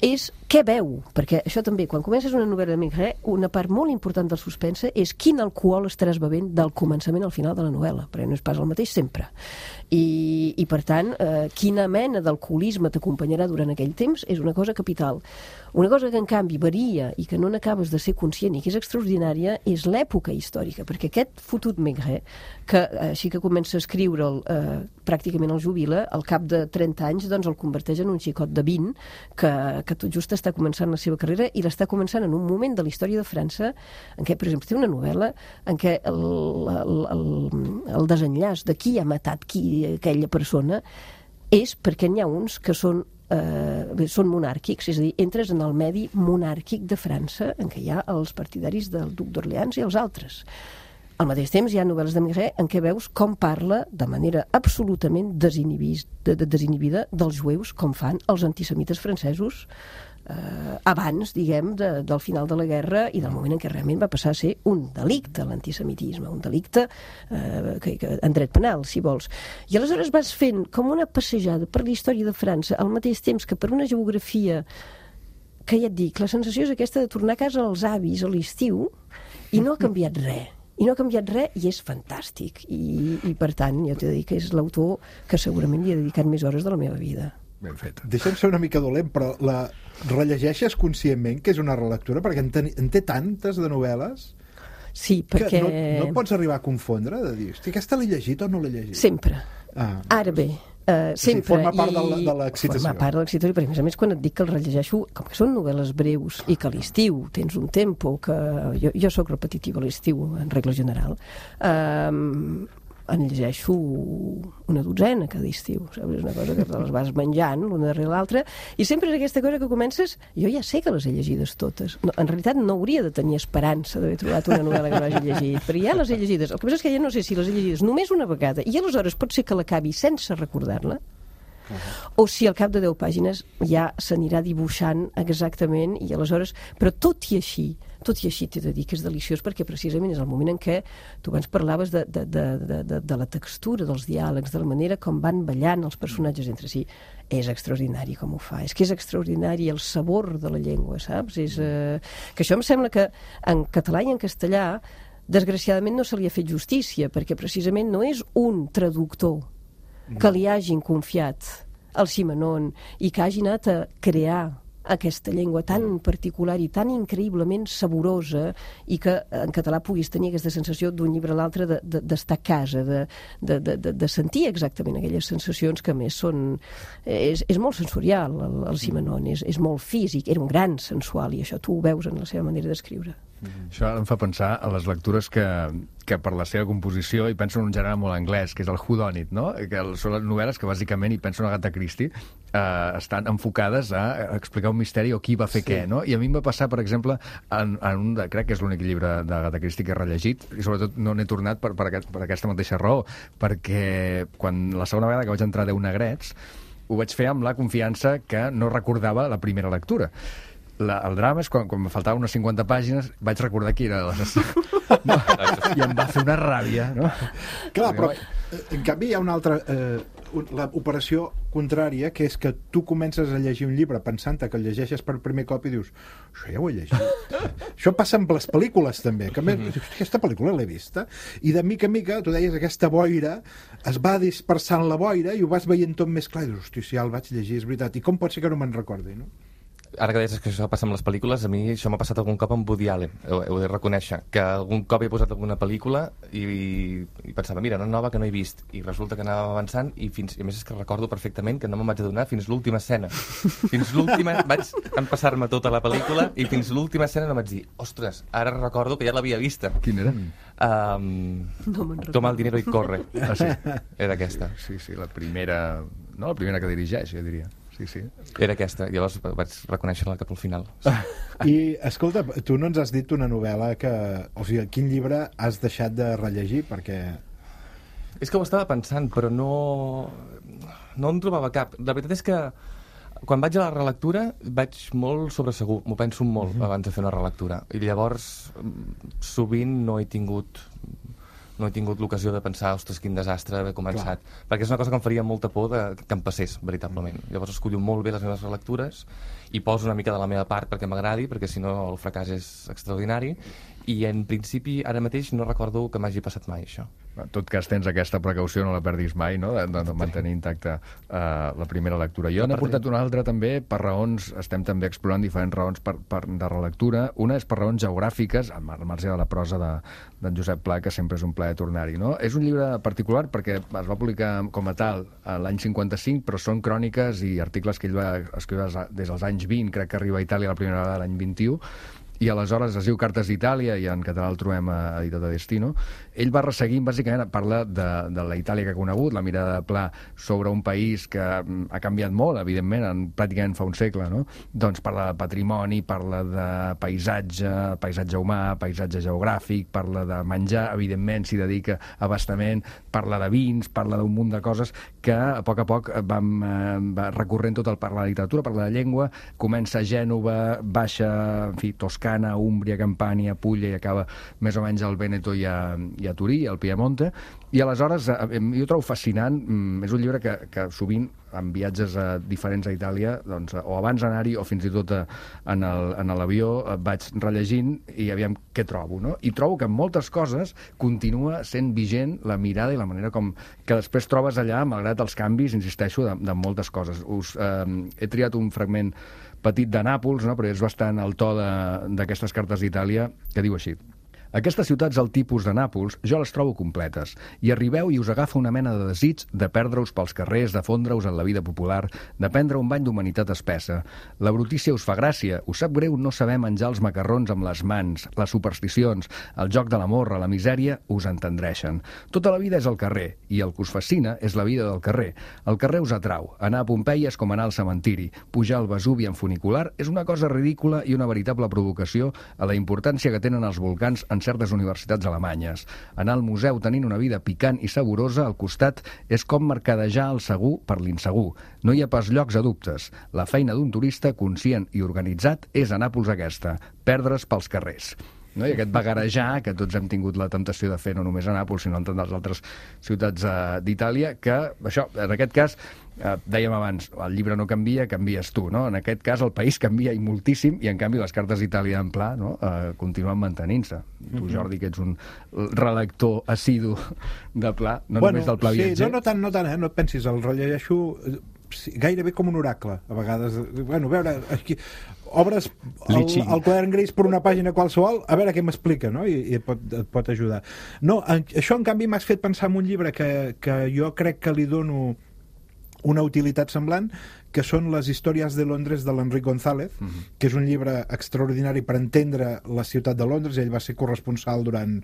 és què veu, perquè això també, quan comences una novel·la de Maigret, una part molt important del suspense és quin alcohol estaràs bevent del començament al final de la novel·la, perquè no és pas el mateix sempre. I per tant, quina mena d'alcoholisme t'acompanyarà durant aquell temps és una cosa capital. Una cosa que, en canvi, varia i que no n'acabes de ser conscient i que és extraordinària és l'època històrica, perquè aquest fotut Maigret, que així que comença a escriure'l pràcticament el jubila, al cap de 30 anys el converteix en un xicot de 20 que tot just està començant la seva carrera i l'està començant en un moment de la història de França en què, per exemple, té una novel·la en què el desenllaç de qui ha matat aquella persona és perquè n'hi ha uns que són monàrquics, és a dir, entres en el medi monàrquic de França en què hi ha els partidaris del duc d'Orleans i els altres. Al mateix temps hi ha novel·les de Maigret en què veus com parla de manera absolutament desinhibida dels jueus, com fan els antisemites francesos abans, diguem, del final de la guerra i del moment en què realment va passar a ser un delicte l'antisemitisme, un delicte en dret penal, si vols. I aleshores vas fent com una passejada per la història de França al mateix temps que per una geografia que ja et dic, la sensació és aquesta de tornar a casa als avis a l'estiu i no ha canviat res. I no ha canviat res i és fantàstic. I per tant, jo t'he de dir que és l'autor que segurament li he dedicat més hores de la meva vida. Ben fet. Deixa'm ser una mica dolent, però la rellegeixes conscientment que és una relectura? Perquè en té tantes de novel·les sí, perquè... que no pots arribar a confondre, de dir, hosti, aquesta l'he llegit o no l'he llegit? Sempre. Ara bé, sempre. Forma part de l'excitació. Forma part de l'excitació, perquè a més quan et dic que el rellegeixo, com que són novel·les breus i que a l'estiu tens un tempo que... Jo soc repetitiva a l'estiu, en regla general, en llegeixo una dotzena cada estiu, saps? És una cosa que te les vas menjant l'una darrere l'altra, i sempre és aquesta cosa que comences, jo ja sé que les he llegides totes. No, en realitat no hauria de tenir esperança d'haver trobat una novel·la que no hagi llegit, però ja les he llegides. El que passa és que ja no sé si les he llegides només una vegada, i aleshores pot ser que l'acabi sense recordar-la, o si al cap de 10 pàgines ja s'anirà dibuixant exactament, i aleshores... Però tot i així t'he de dir que és deliciós, perquè precisament és el moment en què tu abans parlaves de la textura dels diàlegs, de la manera com van ballant els personatges entre si. És extraordinari com ho fa, és que és extraordinari el sabor de la llengua, saps? Que això em sembla que en català i en castellà desgraciadament no se li ha fet justícia, perquè precisament no és un traductor que li hagin confiat al Simenon i que hagi anat a crear aquesta llengua tan particular i tan increïblement saborosa i que en català puguis tenir aquesta sensació d'un llibre a l'altre d'estar a casa, de sentir exactament aquelles sensacions que a més són... És molt sensorial, el Simenon, és molt físic, era un gran sensual i això tu ho veus en la seva manera d'escriure. Això em fa pensar a les lectures que per la seva composició, i penso en un gènere molt anglès, que és el whodunit, no? Que són les novel·les que bàsicament, i penso en Agatha Christie, estan enfocades a explicar un misteri o qui va fer què, no? I a mi em va passar, per exemple, en un crec que és l'únic llibre d'Agatha Christie que he rellegit, i sobretot no n'he tornat per aquesta mateixa raó, perquè quan la segona vegada que vaig entrar a 10 negrets ho vaig fer amb la confiança que no recordava la primera lectura. El drama és quan me faltaven unes 50 pàgines vaig recordar qui era no, i em va fer una ràbia, no? Clar, però en canvi hi ha una altra l'operació contrària, que és que tu comences a llegir un llibre pensant que el llegeixes per primer cop i dius, això ja ho he llegit. Això passa amb les pel·lícules també, que dius, aquesta pel·lícula l'he vista, i de mica en mica, tu deies, aquesta boira es va dispersant la boira i ho vas veient tot més clar i dius, hosti, si ja el vaig llegir, és veritat, i com pot ser que no me'n recordi, no? Ara que deies que això passa amb les pel·lícules, a mi això m'ha passat algun cop amb Woody Allen, ho he de reconèixer, que algun cop he posat alguna pel·lícula i pensava, mira, una nova que no he vist, i resulta que anava avançant i a més és que recordo perfectament que no me'n vaig adonar fins l'última escena. Fins l'última vaig empassar-me tota la pel·lícula i fins l'última escena no vaig dir, ostres, ara recordo que ja l'havia vista. Quina era? No me'n recordo. Toma el dinero i corre. Ah, sí? Era aquesta. Sí, la primera no? La primera que dirigeix, jo diria. Sí. Era aquesta, llavors vaig reconèixer-la cap al final. I, escolta, tu no ens has dit una novel·la que... O sigui, quin llibre has deixat de rellegir? Perquè... És que ho estava pensant, però no en trobava cap. La veritat és que quan vaig a la relectura vaig molt sobresegur, m'ho penso molt abans de fer una relectura. I llavors sovint no he tingut l'ocasió de pensar, ostres, quin desastre haver començat. Clar. Perquè és una cosa que em faria molta por que em passés, veritablement. Llavors escollo molt bé les meves relectures i poso una mica de la meva part perquè m'agradi, perquè si no el fracàs és extraordinari. I en principi, ara mateix, no recordo que m'hagi passat mai això. En tot cas, tens aquesta precaució, no la perdis mai, no? De mantenir intacta la primera lectura. Jo n'he portat una altra també per raons, estem també explorant diferents raons de relectura. Una és per raons geogràfiques, al marge de la prosa d'en Josep Pla, que sempre és un plaer tornar-hi, no? És un llibre particular perquè es va publicar com a tal l'any 55, però són cròniques i articles que ell va escriure des dels anys 20, crec que arriba a Itàlia la primera vegada l'any 21, i aleshores es diu Cartes d'Itàlia, i en català el trobem editat a Destino. Ell va resseguint, bàsicament, parla de la Itàlia que ha conegut, la mirada de Pla sobre un país que ha canviat molt, evidentment, pràcticament fa un segle, no? Doncs parla de patrimoni, parla de paisatge humà, paisatge geogràfic, parla de menjar, evidentment, s'hi dedica a abastament, parla de vins, parla d'un munt de coses que a poc va recorrent tot parla de literatura, parla de llengua, comença a Gènova, baixa, en fi, Toscana, Úmbria, Campània, Puglia, i acaba més o menys al Vèneto i a Turí, al Piemonte. I aleshores, jo trobo fascinant, és un llibre que sovint, en viatges diferents a Itàlia, doncs, o abans d'anar-hi o fins i tot en l'avió, vaig rellegint i aviam què trobo, no? I trobo que en moltes coses continua sent vigent la mirada i la manera com que després trobes allà, malgrat els canvis, insisteixo, de moltes coses. He triat un fragment petit de Nàpols, no? Però és bastant el to d'aquestes cartes d'Itàlia, que diu així: aquestes ciutats al tipus de Nàpols jo les trobo completes. Hi arribeu i us agafa una mena de desig de perdre-us pels carrers, de fondre-us en la vida popular, de prendre un bany d'humanitat espessa. La brutícia us fa gràcia, us sap greu no saber menjar els macarrons amb les mans, les supersticions, el joc de la morra, la misèria, us entendreixen. Tota la vida és el carrer, i el que us fascina és la vida del carrer. El carrer us atrau. Anar a Pompeia és com anar al cementiri. Pujar al Vesuvi en funicular és una cosa ridícula i una veritable provocació a la importància que tenen els volcans en certes universitats alemanyes. Anar al museu tenint una vida picant i saborosa al costat és com mercadejar el segur per l'insegur. No hi ha pas llocs a dubtes. La feina d'un turista conscient i organitzat és a Nàpols aquesta, perdre's pels carrers. No? I aquest vagarejar que tots hem tingut la temptació de fer no només a Nàpols, sinó en tantes altres ciutats d'Itàlia, que això, en aquest cas, dèiem abans, el llibre no canvia, canvies tu, no? En aquest cas el país canvia i moltíssim, i en canvi les cartes d'Itàlia en Pla, no? Continuen mantenint-se. Tu, Jordi, que ets un relector assidu de Pla, no només del Pla viatger. Sí, no tant, no et pensis, el rellegeixo gairebé com un oracle, a vegades. Bueno, a veure, aquí obres el quadern gris per una pàgina qualsevol, a veure què m'explica, no? I et pot ajudar. No, això en canvi m'has fet pensar en un llibre que jo crec que li dono una utilitat semblant, que són les històries de Londres de l'Enric González, que és un llibre extraordinari per entendre la ciutat de Londres. Ell va ser corresponsal durant,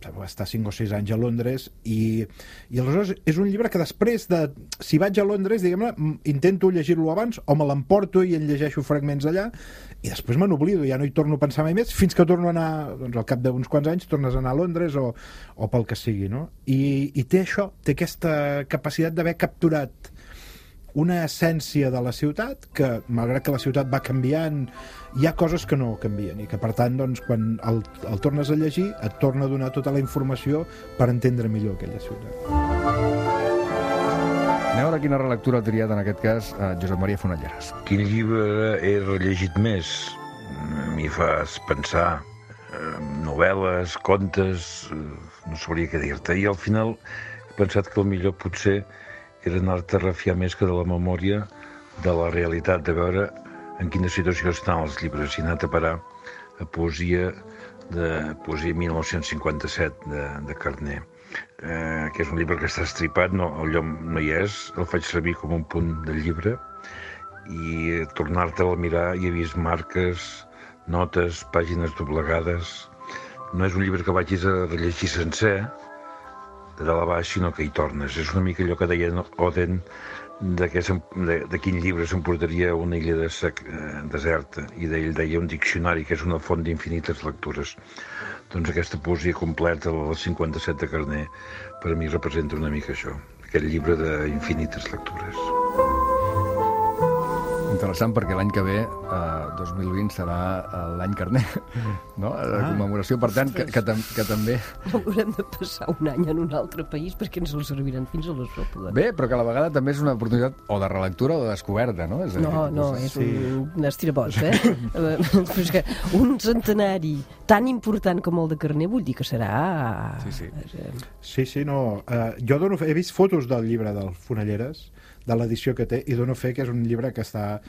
va estar 5 o 6 anys a Londres, i aleshores és un llibre que després de, si vaig a Londres, diguem-ne, intento llegir-lo abans, o me l'emporto i en llegeixo fragments allà, i després me n'oblido, ja no hi torno a pensar mai més, fins que torno a anar, doncs al cap d'uns quants anys tornes a anar a Londres o pel que sigui, no? I té això, té aquesta capacitat d'haver capturat una essència de la ciutat que, malgrat que la ciutat va canviant, hi ha coses que no canvien, i que per tant, doncs, quan el tornes a llegir et torna a donar tota la informació per entendre millor aquella ciutat. Anem a veure quina relectura ha triat en aquest cas Josep Maria Fonalleras. Quin llibre he rellegit més? M'hi fas pensar, novel·les, contes, no sabria què dir-te, i al final he pensat que el millor potser era anar-te a refiar més que de la memòria de la realitat, de veure en quina situació estan els llibres, i anar-te a parar a poesia 1957 de Carner, que és un llibre que està estripat, el llom no hi és, el faig servir com un punt del llibre, i tornar-te'l a mirar i he vist marques, notes, pàgines doblegades. No és un llibre que vagis a rellegir sencer, de dalt a baix, sinó que hi tornes. És una mica allò que deia Oden de quin llibre s'emportaria una illa deserta, i ell deia un diccionari, que és una font d'infinites lectures. Doncs aquesta poesia completa, les 57 de Carner, per a mi representa una mica això, aquest llibre d'infinites lectures. Interessant, perquè l'any que ve, 2020, serà l'any Carner, no? La commemoració, per tant, que també... No haurem de passar un any en un altre país perquè ens el serviran fins a la sopa. Bé, però que a la vegada també és una oportunitat o de relectura o de descoberta, no? És un estirabot, Però és que un centenari tan important com el de Carner vull dir que serà... Sí, no. Jo he vist fotos del llibre del Fonelleres, de l'edició que té, i dono fe que és un llibre que està...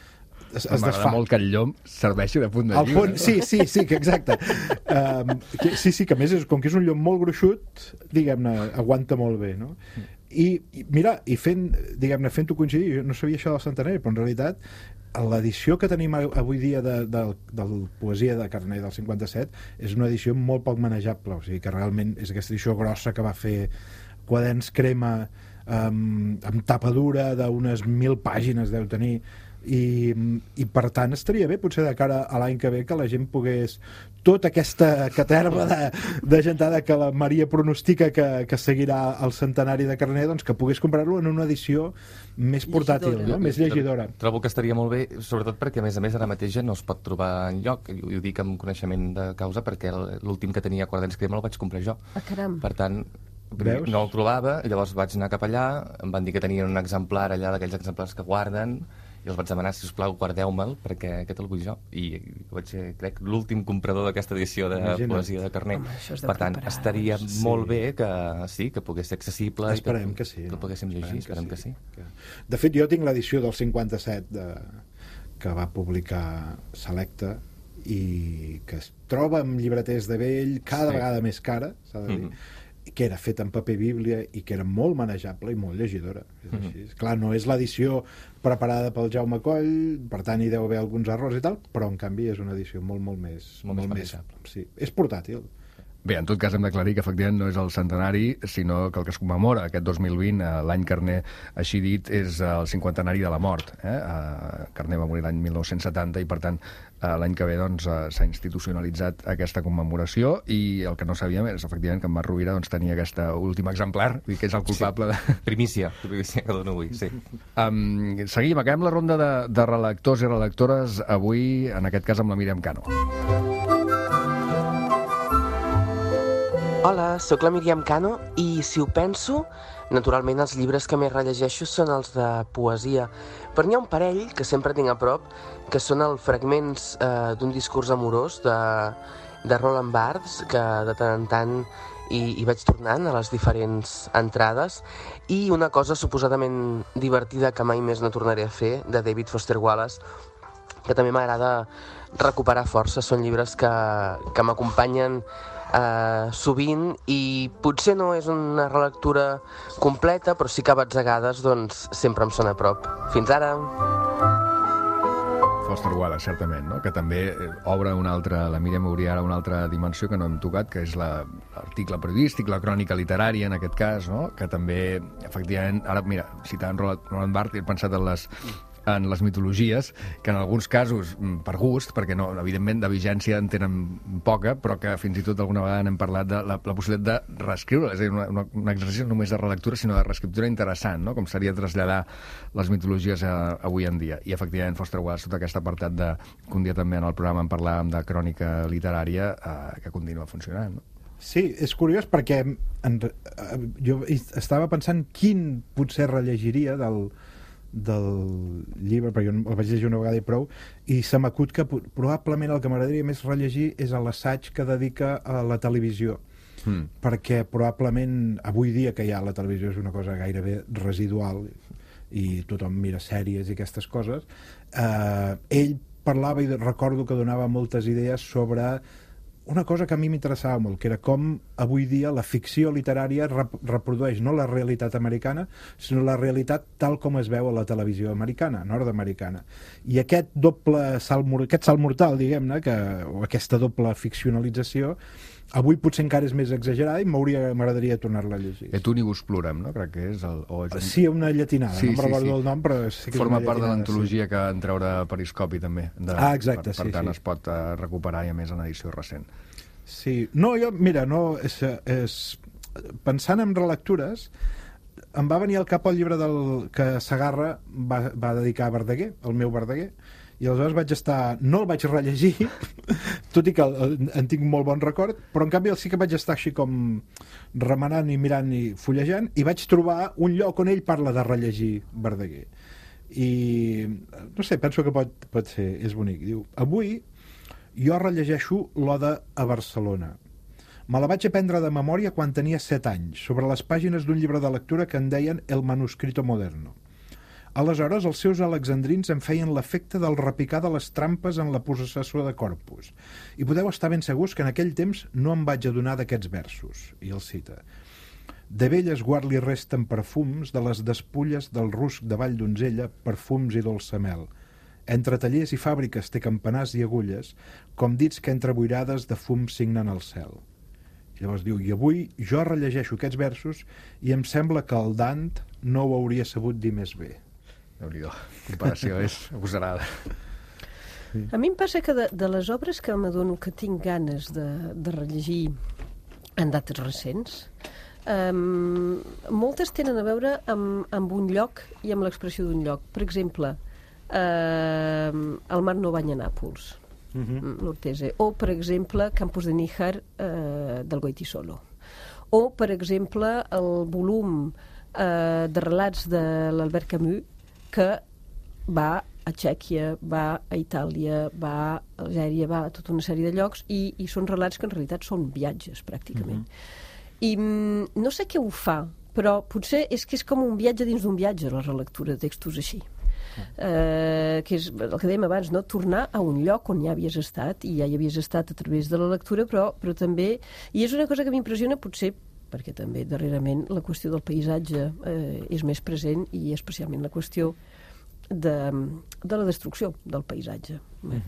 M'agrada molt que el llom serveixi de punt de llibre. Sí, que exacte. Sí, que a més, com que és un llom molt gruixut, diguem-ne, aguanta molt bé, no? I mira, fent-ho coincidir, jo no sabia això del centenari, però en realitat l'edició que tenim avui dia de poesia de Carner del 57 és una edició molt poc manejable, o sigui que realment és aquesta edició grossa que va fer Quaderns Crema, amb tapa dura d'unes 1.000 pàgines deu tenir, i per tant estaria bé potser de cara a l'any que ve que la gent pogués tota aquesta caterva de gentada que la Maria pronostica que seguirà el centenari de Carner, doncs que pogués comprar-lo en una edició més portàtil, no? Més llegidora. Trobo que estaria molt bé, sobretot perquè a més ara mateix ja no es pot trobar enlloc, i ho dic amb coneixement de causa perquè l'últim que tenia Quaderns Crema el vaig comprar jo. Caram. Per tant, no el trobava, i llavors vaig anar cap allà, em van dir que tenien un exemplar allà d'aquells exemplars que guarden, i els vaig demanar, si us plau, guardeu-me'l, perquè aquest el vull jo. I vaig ser, crec, l'últim comprador d'aquesta edició de poesia de Carner. Per tant, estaria molt bé que pogués ser accessible. Esperem que sí. Que el poguéssim llegir, esperem que sí. De fet, jo tinc l'edició del 57 que va publicar Selecta, i que es troba amb llibreters de vell cada vegada més cara, s'ha de dir, que era feta en paper bíblia i que era molt manejable i molt llegidora. És així. Clar, no és l'edició preparada pel Jaume Coll, per tant hi deu haver alguns errors i tal, però en canvi és una edició molt més manejable. Sí. És portàtil. Bé, en tot cas hem d'aclarir que efectivament no és el centenari, sinó que el que es commemora aquest 2020, l'any Carner, així dit, és el 50enari de la mort. Carner va morir l'any 1970 i, per tant, l'any que ve s'ha institucionalitzat aquesta commemoració, i el que no sabíem és, efectivament, que en Marc Rovira tenia aquest últim exemplar, que és el culpable de... Primícia que dono avui, sí. Seguim, acabem la ronda de relectors i relectores avui, en aquest cas amb la Míriam Cano. Hola, sóc la Míriam Cano i, si ho penso, naturalment els llibres que més rellegeixo són els de poesia, però n'hi ha un parell que sempre tinc a prop, que són els fragments d'un discurs amorós de Roland Barthes, que de tant en tant hi vaig tornant a les diferents entrades, i una cosa suposadament divertida que mai més no tornaré a fer, de David Foster Wallace, que també m'agrada recuperar força. Són llibres que m'acompanyen sovint, i potser no és una relectura completa, però sí que a batzegades sempre em sona a prop. Fins ara! Foster Wallace, certament, no? Que també obre la Míriam obria ara una altra dimensió que no hem tocat, que és l'article periodístic, la crònica literària, en aquest cas, no? Que també, efectivament, ara, mira, citant Roland Barthes, he pensat en les mitologies, que en alguns casos, per gust, perquè no, evidentment de vigència en tenen poca, però que fins i tot alguna vegada n'hem parlat de la possibilitat de reescriure, és a dir, un exercici no només de relectura, sinó de reescriptura interessant, no? Com seria traslladar les mitologies avui en dia. I, efectivament, Foster Wallace, tot aquest apartat que un dia també en el programa en parlàvem de crònica literària, que continua funcionant, no? Sí, és curiós perquè jo estava pensant quin potser rellegiria del llibre, perquè jo el vaig llegir una vegada i prou, i se m'acut que probablement el que m'agradaria més rellegir és l'assaig que dedica a la televisió, perquè probablement avui dia, que ja la televisió és una cosa gairebé residual i tothom mira sèries i aquestes coses, ell parlava, i recordo que donava moltes idees sobre una cosa que a mi m'interessava molt, que era com avui dia la ficció literària reprodueix no la realitat americana, sinó la realitat tal com es veu a la televisió americana, nord-americana. I aquest salt mortal, diguem-ne, o aquesta doble ficcionalització, avui potser encara és més exagerada i m'agradaria tornar-la a llegir. Et unibus plurem, no? Crec que és Sí, una llatinada, no me'n recordo el nom, però sí que forma és una part de llatinada, l'antologia que en treure Periscopi també. Exacte, per tant es pot recuperar i a més en edició recent. Sí, no, jo, mira, pensant en relectures, em va venir al cap el llibre que Segarra va dedicar a Verdaguer, el meu Verdaguer, i aleshores no el vaig rellegir, tot i que en tinc molt bon record, però en canvi sí que vaig estar així com remenant i mirant i fullejant, i vaig trobar un lloc on ell parla de rellegir Verdaguer. I, no sé, penso que pot ser, és bonic. Diu, avui jo rellegeixo l'Oda a Barcelona. Me la vaig aprendre de memòria quan tenia 7 anys, sobre les pàgines d'un llibre de lectura que en deien El manuscrito moderno. Aleshores, els seus alexandrins em feien l'efecte del repicar de les trampes en la possessió de Corpus. I podeu estar ben segurs que en aquell temps no em vaig adonar d'aquests versos. I el cita. De velles guard li resten perfums de les despulles del rusc de Vall d'Onzella, perfums i dolça mel. Entre tallers i fàbriques té campanars i agulles, com dits que entre boirades de fum signen el cel. I llavors diu, i avui jo rellegeixo aquests versos i em sembla que el Dant no ho hauria sabut dir més bé. Déu-n'hi-do, comparació és agosarada. A mi em passa que de les obres que m'adono que tinc ganes de rellegir en dates recents, moltes tenen a veure amb un lloc i amb l'expressió d'un lloc. Per exemple, El mar no banya Nàpols, l'Ortese, o per exemple Campos de Níjar del Goytisolo, o per exemple el volum de relats de l'Albert Camus que va a Txèquia, va a Itàlia, va a Algèria, va a tota una sèrie de llocs i són relats que en realitat són viatges pràcticament. I no sé què ho fa, però potser és que és com un viatge dins d'un viatge, la relectura de textos així. Que és el que dèiem abans, no? Tornar a un lloc on ja havies estat, i ja hi havies estat a través de la lectura, però també... I és una cosa que m'impressiona, potser perquè també darrerament la qüestió del paisatge és més present, i especialment la qüestió de la destrucció del paisatge.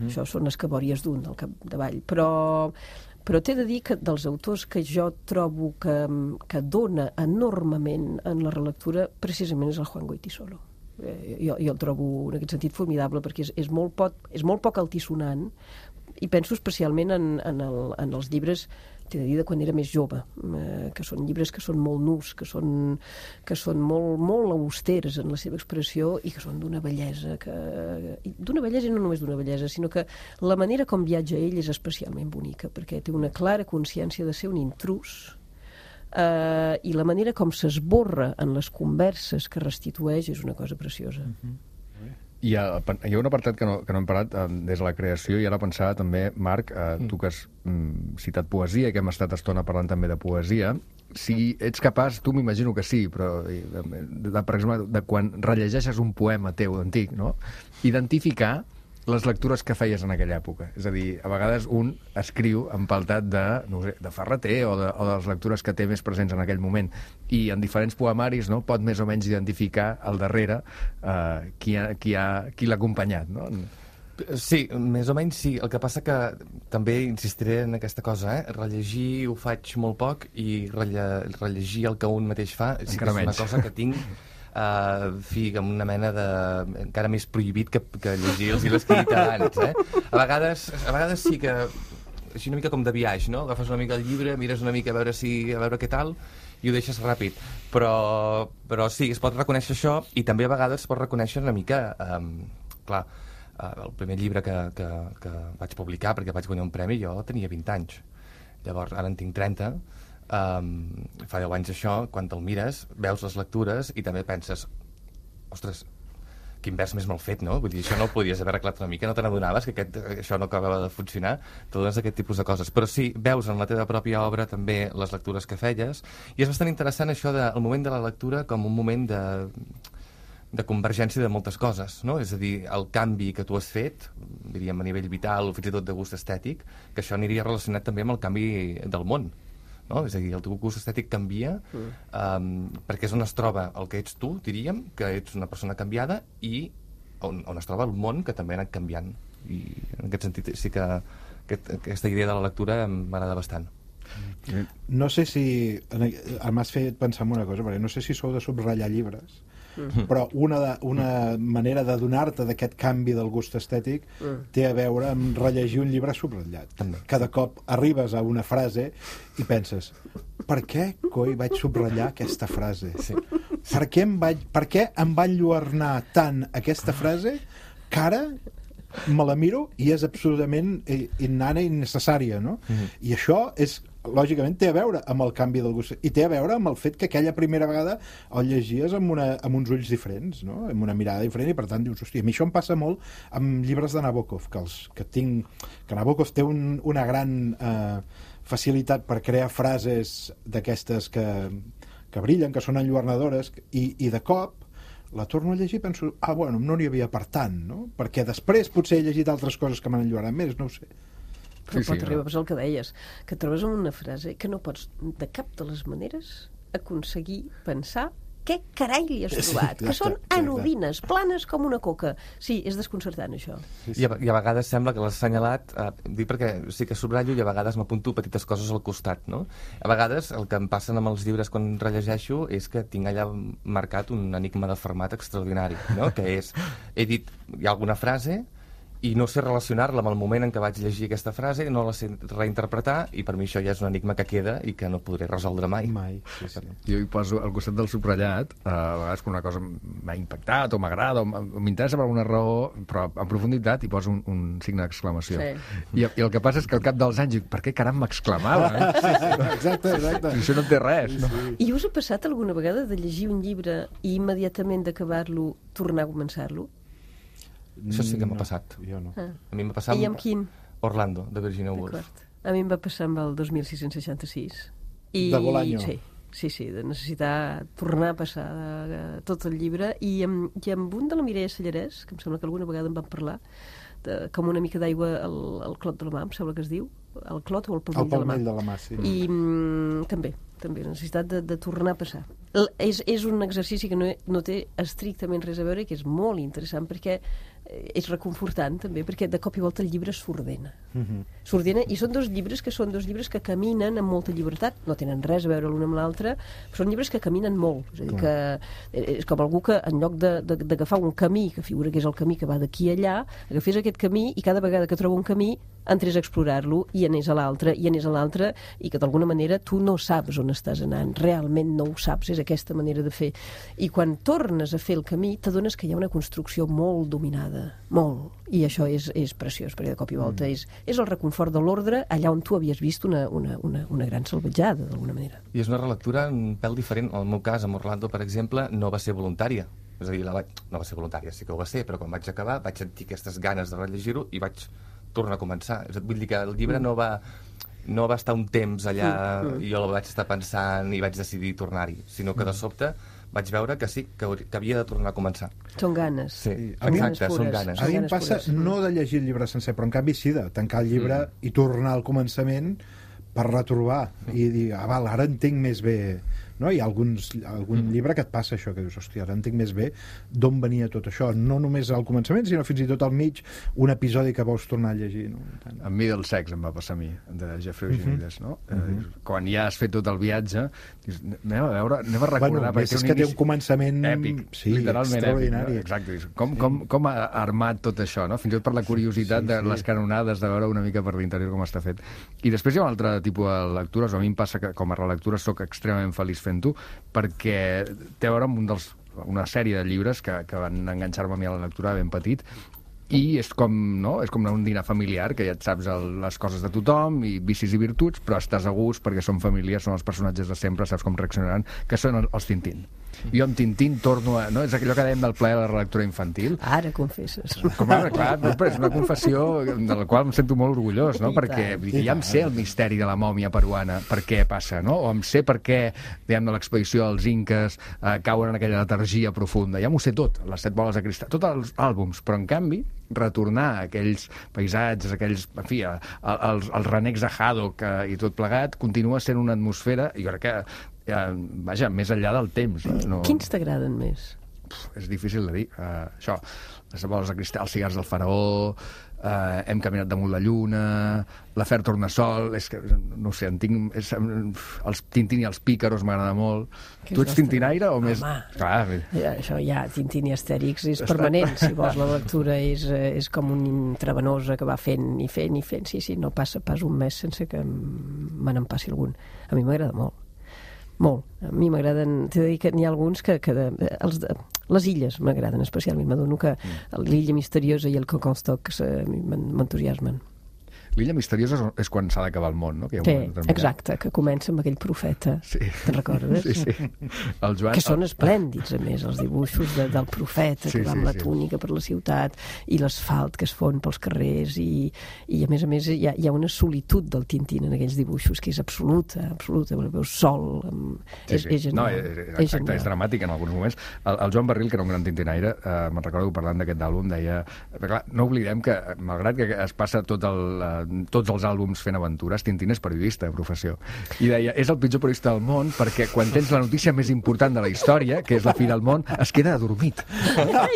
Això són escabòries d'un al capdavall, però t'he de dir que dels autors que jo trobo que dona enormement en la relectura precisament és el Juan Goytisolo. Jo el trobo en aquest sentit formidable, perquè és molt poc altisonant, i penso especialment en els llibres, t'he de dir, de quan era més jove, que són llibres que són molt nus, que són molt austeres en la seva expressió i que són d'una bellesa, i no només d'una bellesa, sinó que la manera com viatja ell és especialment bonica, perquè té una clara consciència de ser un intrús, i la manera com s'esborra en les converses que restitueix és una cosa preciosa. Hi ha un apartat que no hem parlat des de la creació, i ara pensava també, Marc, tu que has citat poesia i que hem estat estona parlant també de poesia, si ets capaç, tu m'imagino que sí, però per exemple, de quan rellegeixes un poema teu antic, no? Identificar les lectures que feies en aquella època. És a dir, a vegades un escriu empaltat de Ferreter o de les lectures que té més presents en aquell moment, i en diferents poemaris, no, pot més o menys identificar al darrere qui l'ha acompanyat, no? Sí, més o menys sí. El que passa que també insistiré en aquesta cosa, rellegir ho faig molt poc, i rellegir el que un mateix fa sí que és una cosa que tinc amb una mena de... encara més prohibit que llegir els llibres que he dit abans, A vegades sí que... així una mica com de viatge, no? Agafes una mica el llibre, mires una mica a veure què tal, i ho deixes ràpid. Però sí, es pot reconèixer això, i també a vegades es pot reconèixer una mica... clar, el primer llibre que vaig publicar, perquè vaig guanyar un premi, jo tenia 20 anys. Llavors, ara en tinc 30... fa 10 anys això, quan te'l mires, veus les lectures i també penses, ostres, quin vers més mal fet, no? Vull dir, això no ho podies haver arreglat una mica, no te n'adonaves que això no acabava de funcionar, totes aquest tipus de coses. Però sí, veus en la teva pròpia obra també les lectures que feies, i és bastant interessant això del moment de la lectura com un moment de convergència de moltes coses, no? És a dir, el canvi que tu has fet, diríem a nivell vital o fins i tot de gust estètic, que això aniria relacionat també amb el canvi del món. No? És a dir, el teu gust estètic canvia perquè és on es troba el que ets tu, diríem, que ets una persona canviada, i on es troba el món, que també ha anat canviant. I en aquest sentit sí que aquesta idea de la lectura m'agrada bastant. No sé si... M'has fet pensar en una cosa, perquè no sé si sou de subratllar llibres, però una manera de donar-te d'aquest canvi del gust estètic té a veure amb rellegir un llibre subratllat. Cada cop arribes a una frase i penses, per què coi vaig subratllar aquesta frase? Sí. Per què em va enlluernar tant aquesta frase que ara me la miro i és absolutament innana i innecessària, no? I això és, lògicament, té a veure amb el canvi del gust i té a veure amb el fet que aquella primera vegada el llegies amb uns ulls diferents, no? Amb una mirada diferent, i per tant dius, hòstia, a mi això em passa molt amb llibres de Nabokov, que Nabokov té una gran facilitat per crear frases d'aquestes que brillen, que són enlluernadores, i de cop la torno a llegir i penso, bueno, no n'hi havia per tant, no? Perquè després potser he llegit altres coses que m'han enlluernat més, no ho sé. Però pot arribar, és el que deies, que trobes en una frase que no pots de cap de les maneres aconseguir pensar què carai li has trobat, que són anodines, planes com una coca. Sí, és desconcertant, això. I a vegades sembla que l'has assenyalat, dic perquè sí que subratllo i a vegades m'apunto petites coses al costat, no? A vegades el que em passen amb els llibres quan rellegeixo és que tinc allà marcat un enigma de Fermat extraordinari, no? Que és, he dit, hi ha alguna frase i no sé relacionar-la amb el moment en què vaig llegir aquesta frase, no la sé reinterpretar, i per mi això ja és un enigma que queda i que no podré resoldre mai. Sí. Jo hi poso al costat del subratllat, a vegades quan una cosa m'ha impactat o m'agrada o m'interessa per alguna raó, però en profunditat hi poso un signe d'exclamació. Sí. I el que passa és que al cap dels anys dic, per què caram m'exclamava? Exacte. Això no té res. No? I us ha passat alguna vegada de llegir un llibre i immediatament d'acabar-lo tornar a començar-lo? Això sí que m'ha passat. Jo no. A mi m'ha passat I amb quin? Orlando, de Virginia Woolf. A mi em va passar amb el 2666. De Bolaño. Sí, de necessitar tornar a passar tot el llibre. I amb un de la Mireia Sallarès, que em sembla que alguna vegada en vam parlar, com una mica d'aigua al clot de la mà, em sembla que es diu, el clot o el palmell de la mà. El palmell de la mà, sí. I també la necessitat de tornar a passar. És un exercici que no té estrictament res a veure i que és molt interessant perquè és reconfortant també, perquè de cop i volta el llibre s'ordena. S'ordena, i són dos llibres que caminen amb molta llibertat, no tenen res a veure l'un amb l'altre, però són llibres que caminen molt. És a dir, que és com algú que en lloc d'agafar un camí, que figura que és el camí que va d'aquí a allà, agafés aquest camí i cada vegada que troba un camí entrés a explorar-lo i anés a l'altre, i que d'alguna manera tu no saps on estàs anant, realment no ho saps, és aquesta manera de fer. I quan tornes a fer el camí t'adones que hi ha una construcció molt dominada, molt, i això és preciós, perquè de cop i volta és el reconfort de l'ordre allà on tu havies vist una gran salvatjada, d'alguna manera. I és una relectura un pèl diferent. En el meu cas, amb Orlando, per exemple, no va ser voluntària. És a dir, no va ser voluntària, sí que ho va ser, però quan vaig acabar vaig sentir aquestes ganes de rellegir-ho i vaig tornar a començar. Vull dir que el llibre no va estar un temps allà i jo el vaig estar pensant i vaig decidir tornar-hi, sinó que de sobte vaig veure que sí, que havia de tornar a començar. Són ganes. Sí, exacte, són ganes. A mi em passa no de llegir el llibre sencer, però en canvi sí de tancar el llibre i tornar al començament per retrobar i dir, val, ara entenc més bé, no? Hi ha algun llibre que et passa això, que dius, hòstia, ara entenc més bé d'on venia tot això, no només al començament, sinó fins i tot al mig, un episodi que vols tornar a llegir, no? Amb Middlesex em va passar a mi, de Jeffrey Eugenides, no? Quan ja has fet tot el viatge, dius, anem a recordar... Bueno, és que té un començament èpic, sí, extraordinari. Exacte, com ha armat tot això, no? Fins i tot per la curiositat de les canonades, de veure una mica per l'interior com està fet. I després hi ha un altre tipus de lectures, a mi em passa que com a relectura soc extremament feliç fent-ho, perquè té a veure amb una sèrie de llibres que van enganxar-me a mi a la lectura ben petit, i és com un dinar familiar, que ja et saps les coses de tothom, i vicis i virtuts, però estàs a gust perquè són famílies, són els personatges de sempre, saps com reaccionaran, que són els Tintín. Jo amb Tintín torno a... No? És allò que dèiem del plaer de la relectura infantil. Ara confesses. Clar, però és una confessió de la qual em sento molt orgullós, no? Perquè ja em sé el misteri de la mòmia peruana, per què passa, no? O em sé per què, diguem, de l'expedició dels inques cauen en aquella letargia profunda. Ja m'ho sé tot, les 7 boles de cristall, tots els àlbums, però en canvi retornar a aquells paisatges, en fi, els renecs de Haddock i tot plegat, continua sent una atmosfera, i jo crec que vaja, més enllà del temps. Quins t'agraden més? és difícil de dir. Això, les boles de cristal, els cigars del faraó, hem caminat damunt la lluna, l'afer Tornassol, és que, no sé, els Tintín i els Pícaros m'agrada molt. Tu ets tintinaire o més... Clar, això ja, Tintín i Astèrix és permanent, si vols, la lectura és com un intravenosa que va fent i fent i fent. Sí, no passa pas un mes sense que me n'en passi algun. A mi m'agrada molt. Molt. A mi m'agraden... T'he de dir que n'hi ha alguns que les illes m'agraden especialment. M'adono que l'illa misteriosa i el Coconstock m'entusiasmen. L'illa misteriosa és quan s'ha d'acabar el món, no? Que exacte, que comença amb aquell profeta. Sí. Te'n recordes? Sí. El Joan... Que són esplèndids, a més, els dibuixos del profeta que va amb la túnica per la ciutat i l'asfalt que es fon pels carrers i a més, hi ha una solitud del Tintín en aquells dibuixos que és absoluta, veus sol. És genial. No, exacte, és dramàtic en alguns moments. El Joan Barril, que era un gran tintinaire, me'n recordo que parlant d'aquest àlbum deia... Clar, no oblidem que, malgrat que es passa tots els àlbums fent aventures, Tintín és periodista de professió. I deia, és el pitjor periodista del món perquè quan tens la notícia més important de la història, que és la fi del món, es queda adormit.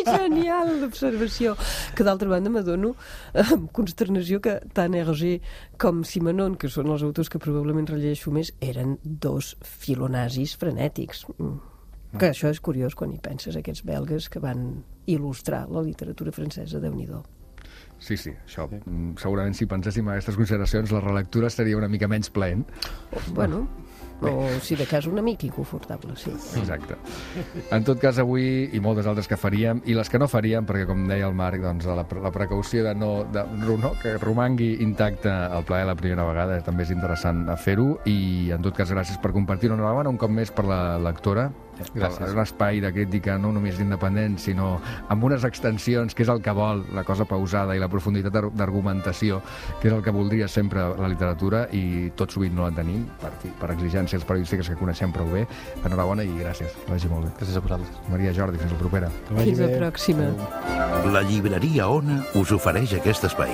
Genial, l'observació. Que d'altra banda m'adono amb consternació que tant Hergé com Simenon, que són els autors que probablement rellegeixo més, eren dos filonazis frenètics. Que això és curiós quan hi penses, aquests belgues que van il·lustrar la literatura francesa, Déu-n'hi-do. Sí, això. Segurament si penséssim en aquestes consideracions la relectura seria una mica menys plaent. Bueno, o si de cas una mica inconfortable, sí. Exacte. En tot cas, avui, i moltes altres que faríem, i les que no faríem, perquè com deia el Marc, doncs, la precaució de no que romangui intacte el plaer la primera vegada, també és interessant fer-ho, i en tot cas gràcies per compartir-ho. Enhorabona un cop més per la lectora. Gràcies. Un espai de crítica no només independent, sinó amb unes extensions, que és el que vol, la cosa pausada i la profunditat d'argumentació, que és el que voldria sempre la literatura, i tot sovint no la tenim, per exigències periodístiques que coneixem prou bé. Enhorabona i gràcies. Que vagi molt bé. Gràcies a vosaltres. Maria Jordi, fins la propera. Fins la pròxima. La llibreria Ona us ofereix aquest espai.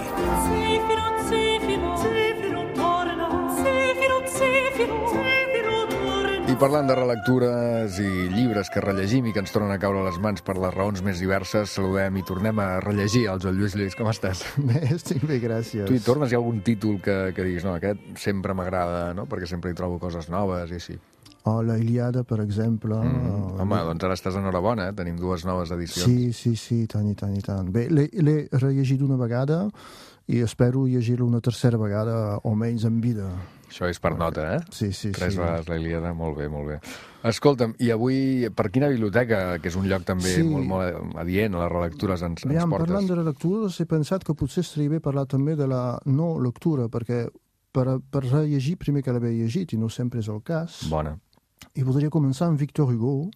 I parlant de relectures i llibres que rellegim i que ens tornen a caure a les mans per les raons més diverses, saludem i tornem a rellegir el Joan Lluís Lluís. Com estàs? Bé, estic bé, gràcies. Tu hi tornes? Hi ha algun títol que diguis, no, aquest sempre m'agrada, no? Perquè sempre hi trobo coses noves i així. La Ilíada, per exemple. Home, doncs ara estàs enhorabona, Tenim 2 noves edicions. Sí, tant i tant. Bé, l'he rellegit una vegada i espero llegir-lo una tercera vegada o menys en vida. Això és per nota, eh? Sí. 3 vegades la Ilíada, molt bé. Escolta'm, i avui per quina biblioteca, que és un lloc també molt adient a les relectures, ens portes? Parlant de relectures, he pensat que potser estaria bé parlar també de la no lectura, perquè per rellegir primer que l'haver llegit, i no sempre és el cas. Bona. I voldria començar amb Victor Hugo,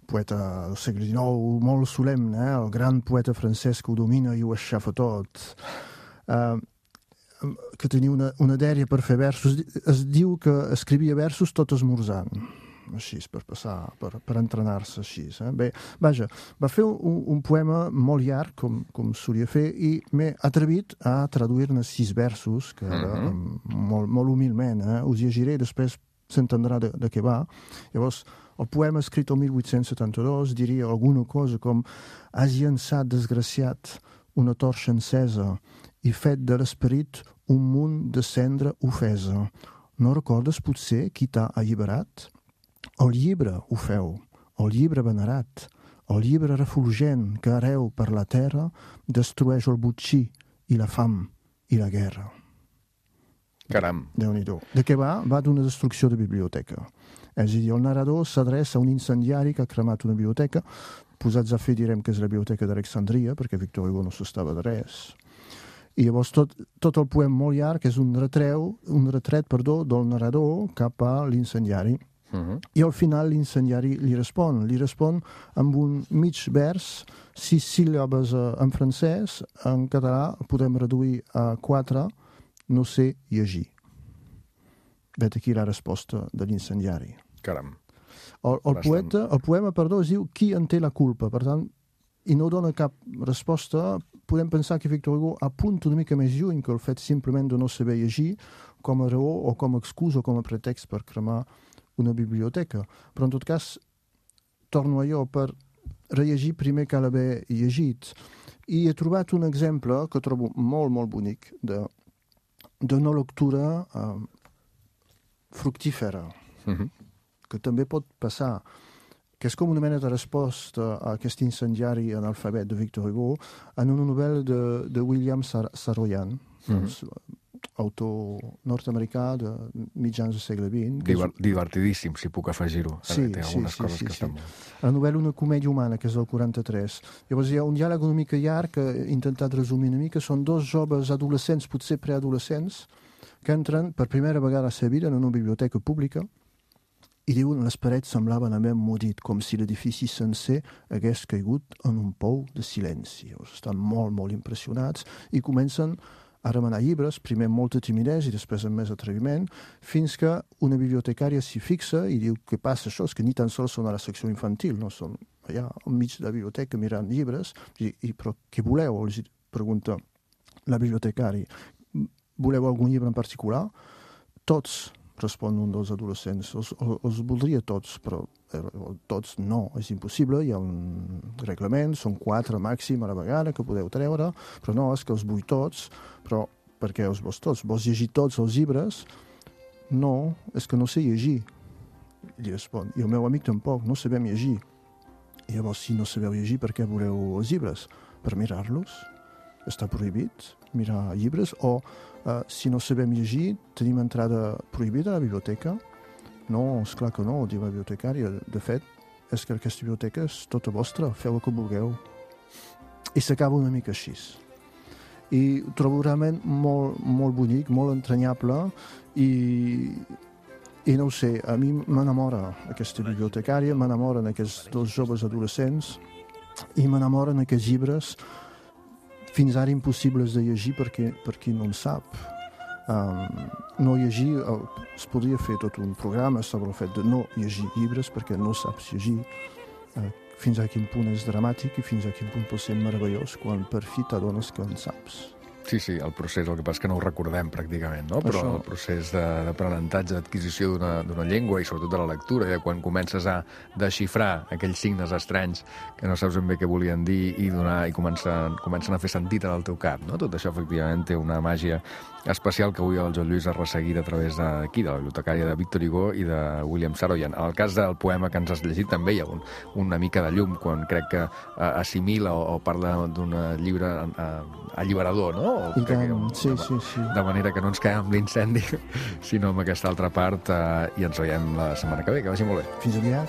poeta del segle XIX, molt solemne, el gran poeta francès que ho domina i ho aixafa tot. Que tenia una dèria per fer versos. Es diu que escrivia versos tot esmorzant, així, per passar, per entrenar-se així. Bé, vaja, va fer un poema molt llarg, com solia fer, i m'he atrevit a traduir-ne 6 versos, que molt humilment, us llegiré, després s'entendrà de què va. Llavors, el poema escrit el 1872 diria alguna cosa com: has llançat, desgraciat, una torxa encesa i fet de l'esperit un munt de cendra ofesa. No recordes potser qui t'ha alliberat? El llibre ho feu, el llibre venerat, el llibre refulgent que areu per la terra destrueix el botxí i la fam i la guerra. Caram. Déu-n'hi-do. De què va? Va d'una destrucció de biblioteca. És a dir, el narrador s'adreça a un incendiari que ha cremat una biblioteca. Posats a fer direm que és la biblioteca d'Alexandria, perquè Victor Hugo no s'estava de res. I llavors tot el poema molt llarg és un retret del narrador cap a l'incendiari. I al final l'incendiari li respon amb un mig vers, 6 síl·labes en francès, en català podem reduir a 4, no sé llegir. Vet aquí la resposta de l'incendiari. Caram. El poema es diu Qui en té la culpa? Per tant, i no dona cap resposta, podem pensar que Victor Hugo apunta una mica més lluny que el fet simplement de no saber llegir com a raó o com a excusa o com a pretext per cremar una biblioteca. Però en tot cas, torno a allò, per rellegir primer cal haver llegit. I he trobat un exemple que trobo molt, molt bonic d'una lectura fructífera, que també pot passar, que és com una mena de resposta a aquest incendiari analfabet de Victor Hugo en una novel·la de William Saroyan, autor nord-americà de mitjans del segle XX. Divertidíssim, si puc afegir-ho. Té algunes coses que estan molt... La novel·la Una comèdia humana, que és del 43. Llavors hi ha un diàleg una mica llarg que he intentat resumir una mica. Són dos joves adolescents, potser preadolescents, que entren per primera vegada a la seva vida en una biblioteca pública i diuen les parets semblaven haver emmudit, com si l'edifici sencer hagués caigut en un pou de silenci. Estan molt, molt impressionats i comencen a remenar llibres, primer amb molta timidesa i després amb més atreviment, fins que una bibliotecària s'hi fixa i diu què passa això, és que ni tan sols són a la secció infantil, no són allà enmig de la biblioteca mirant llibres, però què voleu? Els pregunta la bibliotecària. Voleu algun llibre en particular? Tots, respon un dels adolescents. Els voldria tots, però tots no, és impossible. Hi ha un reglament, són 4 màxim a la vegada que podeu treure, però no, és que els vull tots. Però per què els vols tots? Vols llegir tots els llibres? No, és que no sé llegir. I respon, i el meu amic tampoc, no sabem llegir. I llavors, si no sabeu llegir, per què voleu els llibres? Per mirar-los? Està prohibit mirar llibres? O si no sabem llegir, tenim entrada prohibida a la biblioteca? No, esclar que no, diu la bibliotecària. De fet, és que aquesta biblioteca és tota vostra, feu el que vulgueu. I s'acaba una mica així. I ho trobo realment molt, molt bonic, molt entranyable, i no ho sé, a mi m'enamora aquesta bibliotecària, m'enamoren aquests dos joves adolescents i m'enamoren aquests llibres fins ara impossibles de llegir per qui no en sap. No llegir, es podria fer tot un programa sobre el fet de no llegir llibres perquè no saps llegir. Fins a quin punt és dramàtic i fins a quin punt pot ser meravellós quan per fi t'adones que en saps. Sí, el procés, el que passa és que no ho recordem pràcticament, no? Però el procés d'aprenentatge, d'adquisició d'una llengua i sobretot de la lectura, quan comences a desxifrar aquells signes estranys que no saps ben bé què volien dir i comencen a fer sentit en el teu cap, no? Tot això efectivament té una màgia especial que avui el Joan Lluís ha resseguit a través d'aquí, de la bibliotecària de Victor Hugo i de William Saroyan. En el cas del poema que ens has llegit també hi ha una mica de llum quan crec que assimila o parla d'un llibre alliberador, no? I tant, sí. De manera que no ens quedem amb l'incendi, sinó amb aquesta altra part, i ens veiem la setmana que ve. Que vagi molt bé. Fins aviat.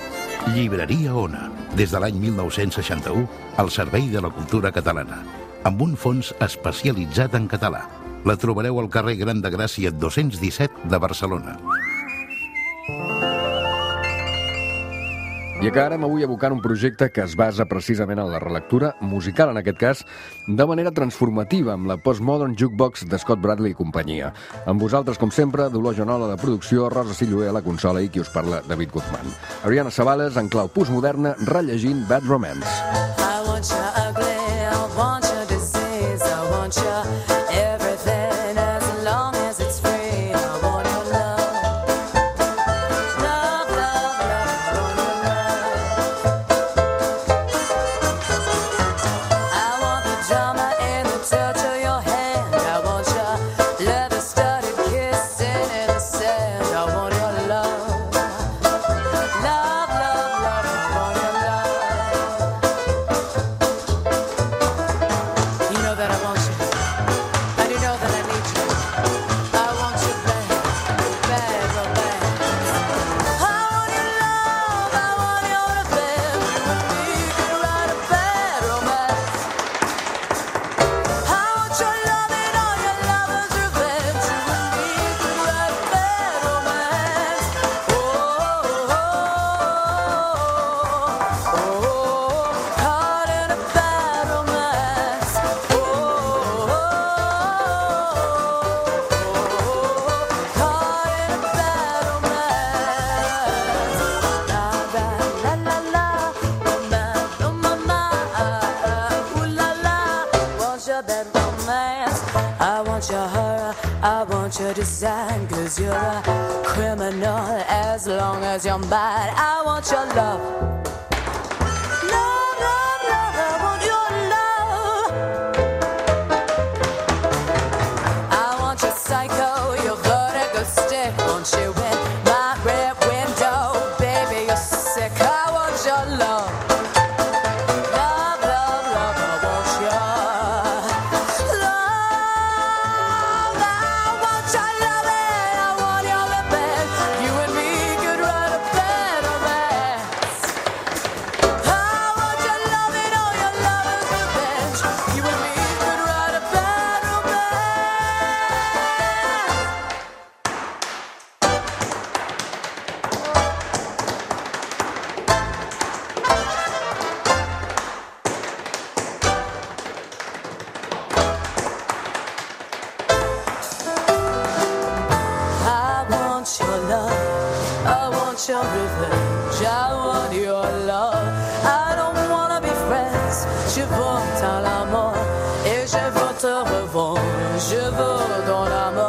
Llibreria Ona, des de l'any 1961, al servei de la cultura catalana, amb un fons especialitzat en català. La trobareu al carrer Gran de Gràcia 217 de Barcelona. I acabarem avui evocant un projecte que es basa precisament en la relectura musical, en aquest cas, de manera transformativa, amb la Postmodern Jukebox de Scott Bradley i companyia. Amb vosaltres, com sempre, Dolors Joanola de producció, Rosa Silloé a la consola i qui us parla, David Guzmán. Ariana Sabales, en clau postmoderna, rellegint Bad Romance. I want you ugly, I want you disease, I want you everything as long as it's free. I want your love, love, love, love, I want your love. I want the drama in the touch of your hand. I want your leather-studded kissing in the sand. I want your love, love, love, love, I want your love. You know that I want you. And you know that I need you. I want you bad, bad romance. I want your love, I want your revenge. We can write a bad romance. I want your love and all your lovers' revenge. We can write a bad romance. Oh, oh, oh, oh, caught in a bad romance. Oh, oh, oh, caught in a bad romance. La la la la, romance, oh mama, ooh la la, want your bad romance. I want your horror, I want your design, 'cause you're a criminal as long as you're mine. I want your love, love, love. your revenge, I want your love. I don't wanna be friends, je veux dans la mort et je veux te revoir, je veux dans la mort.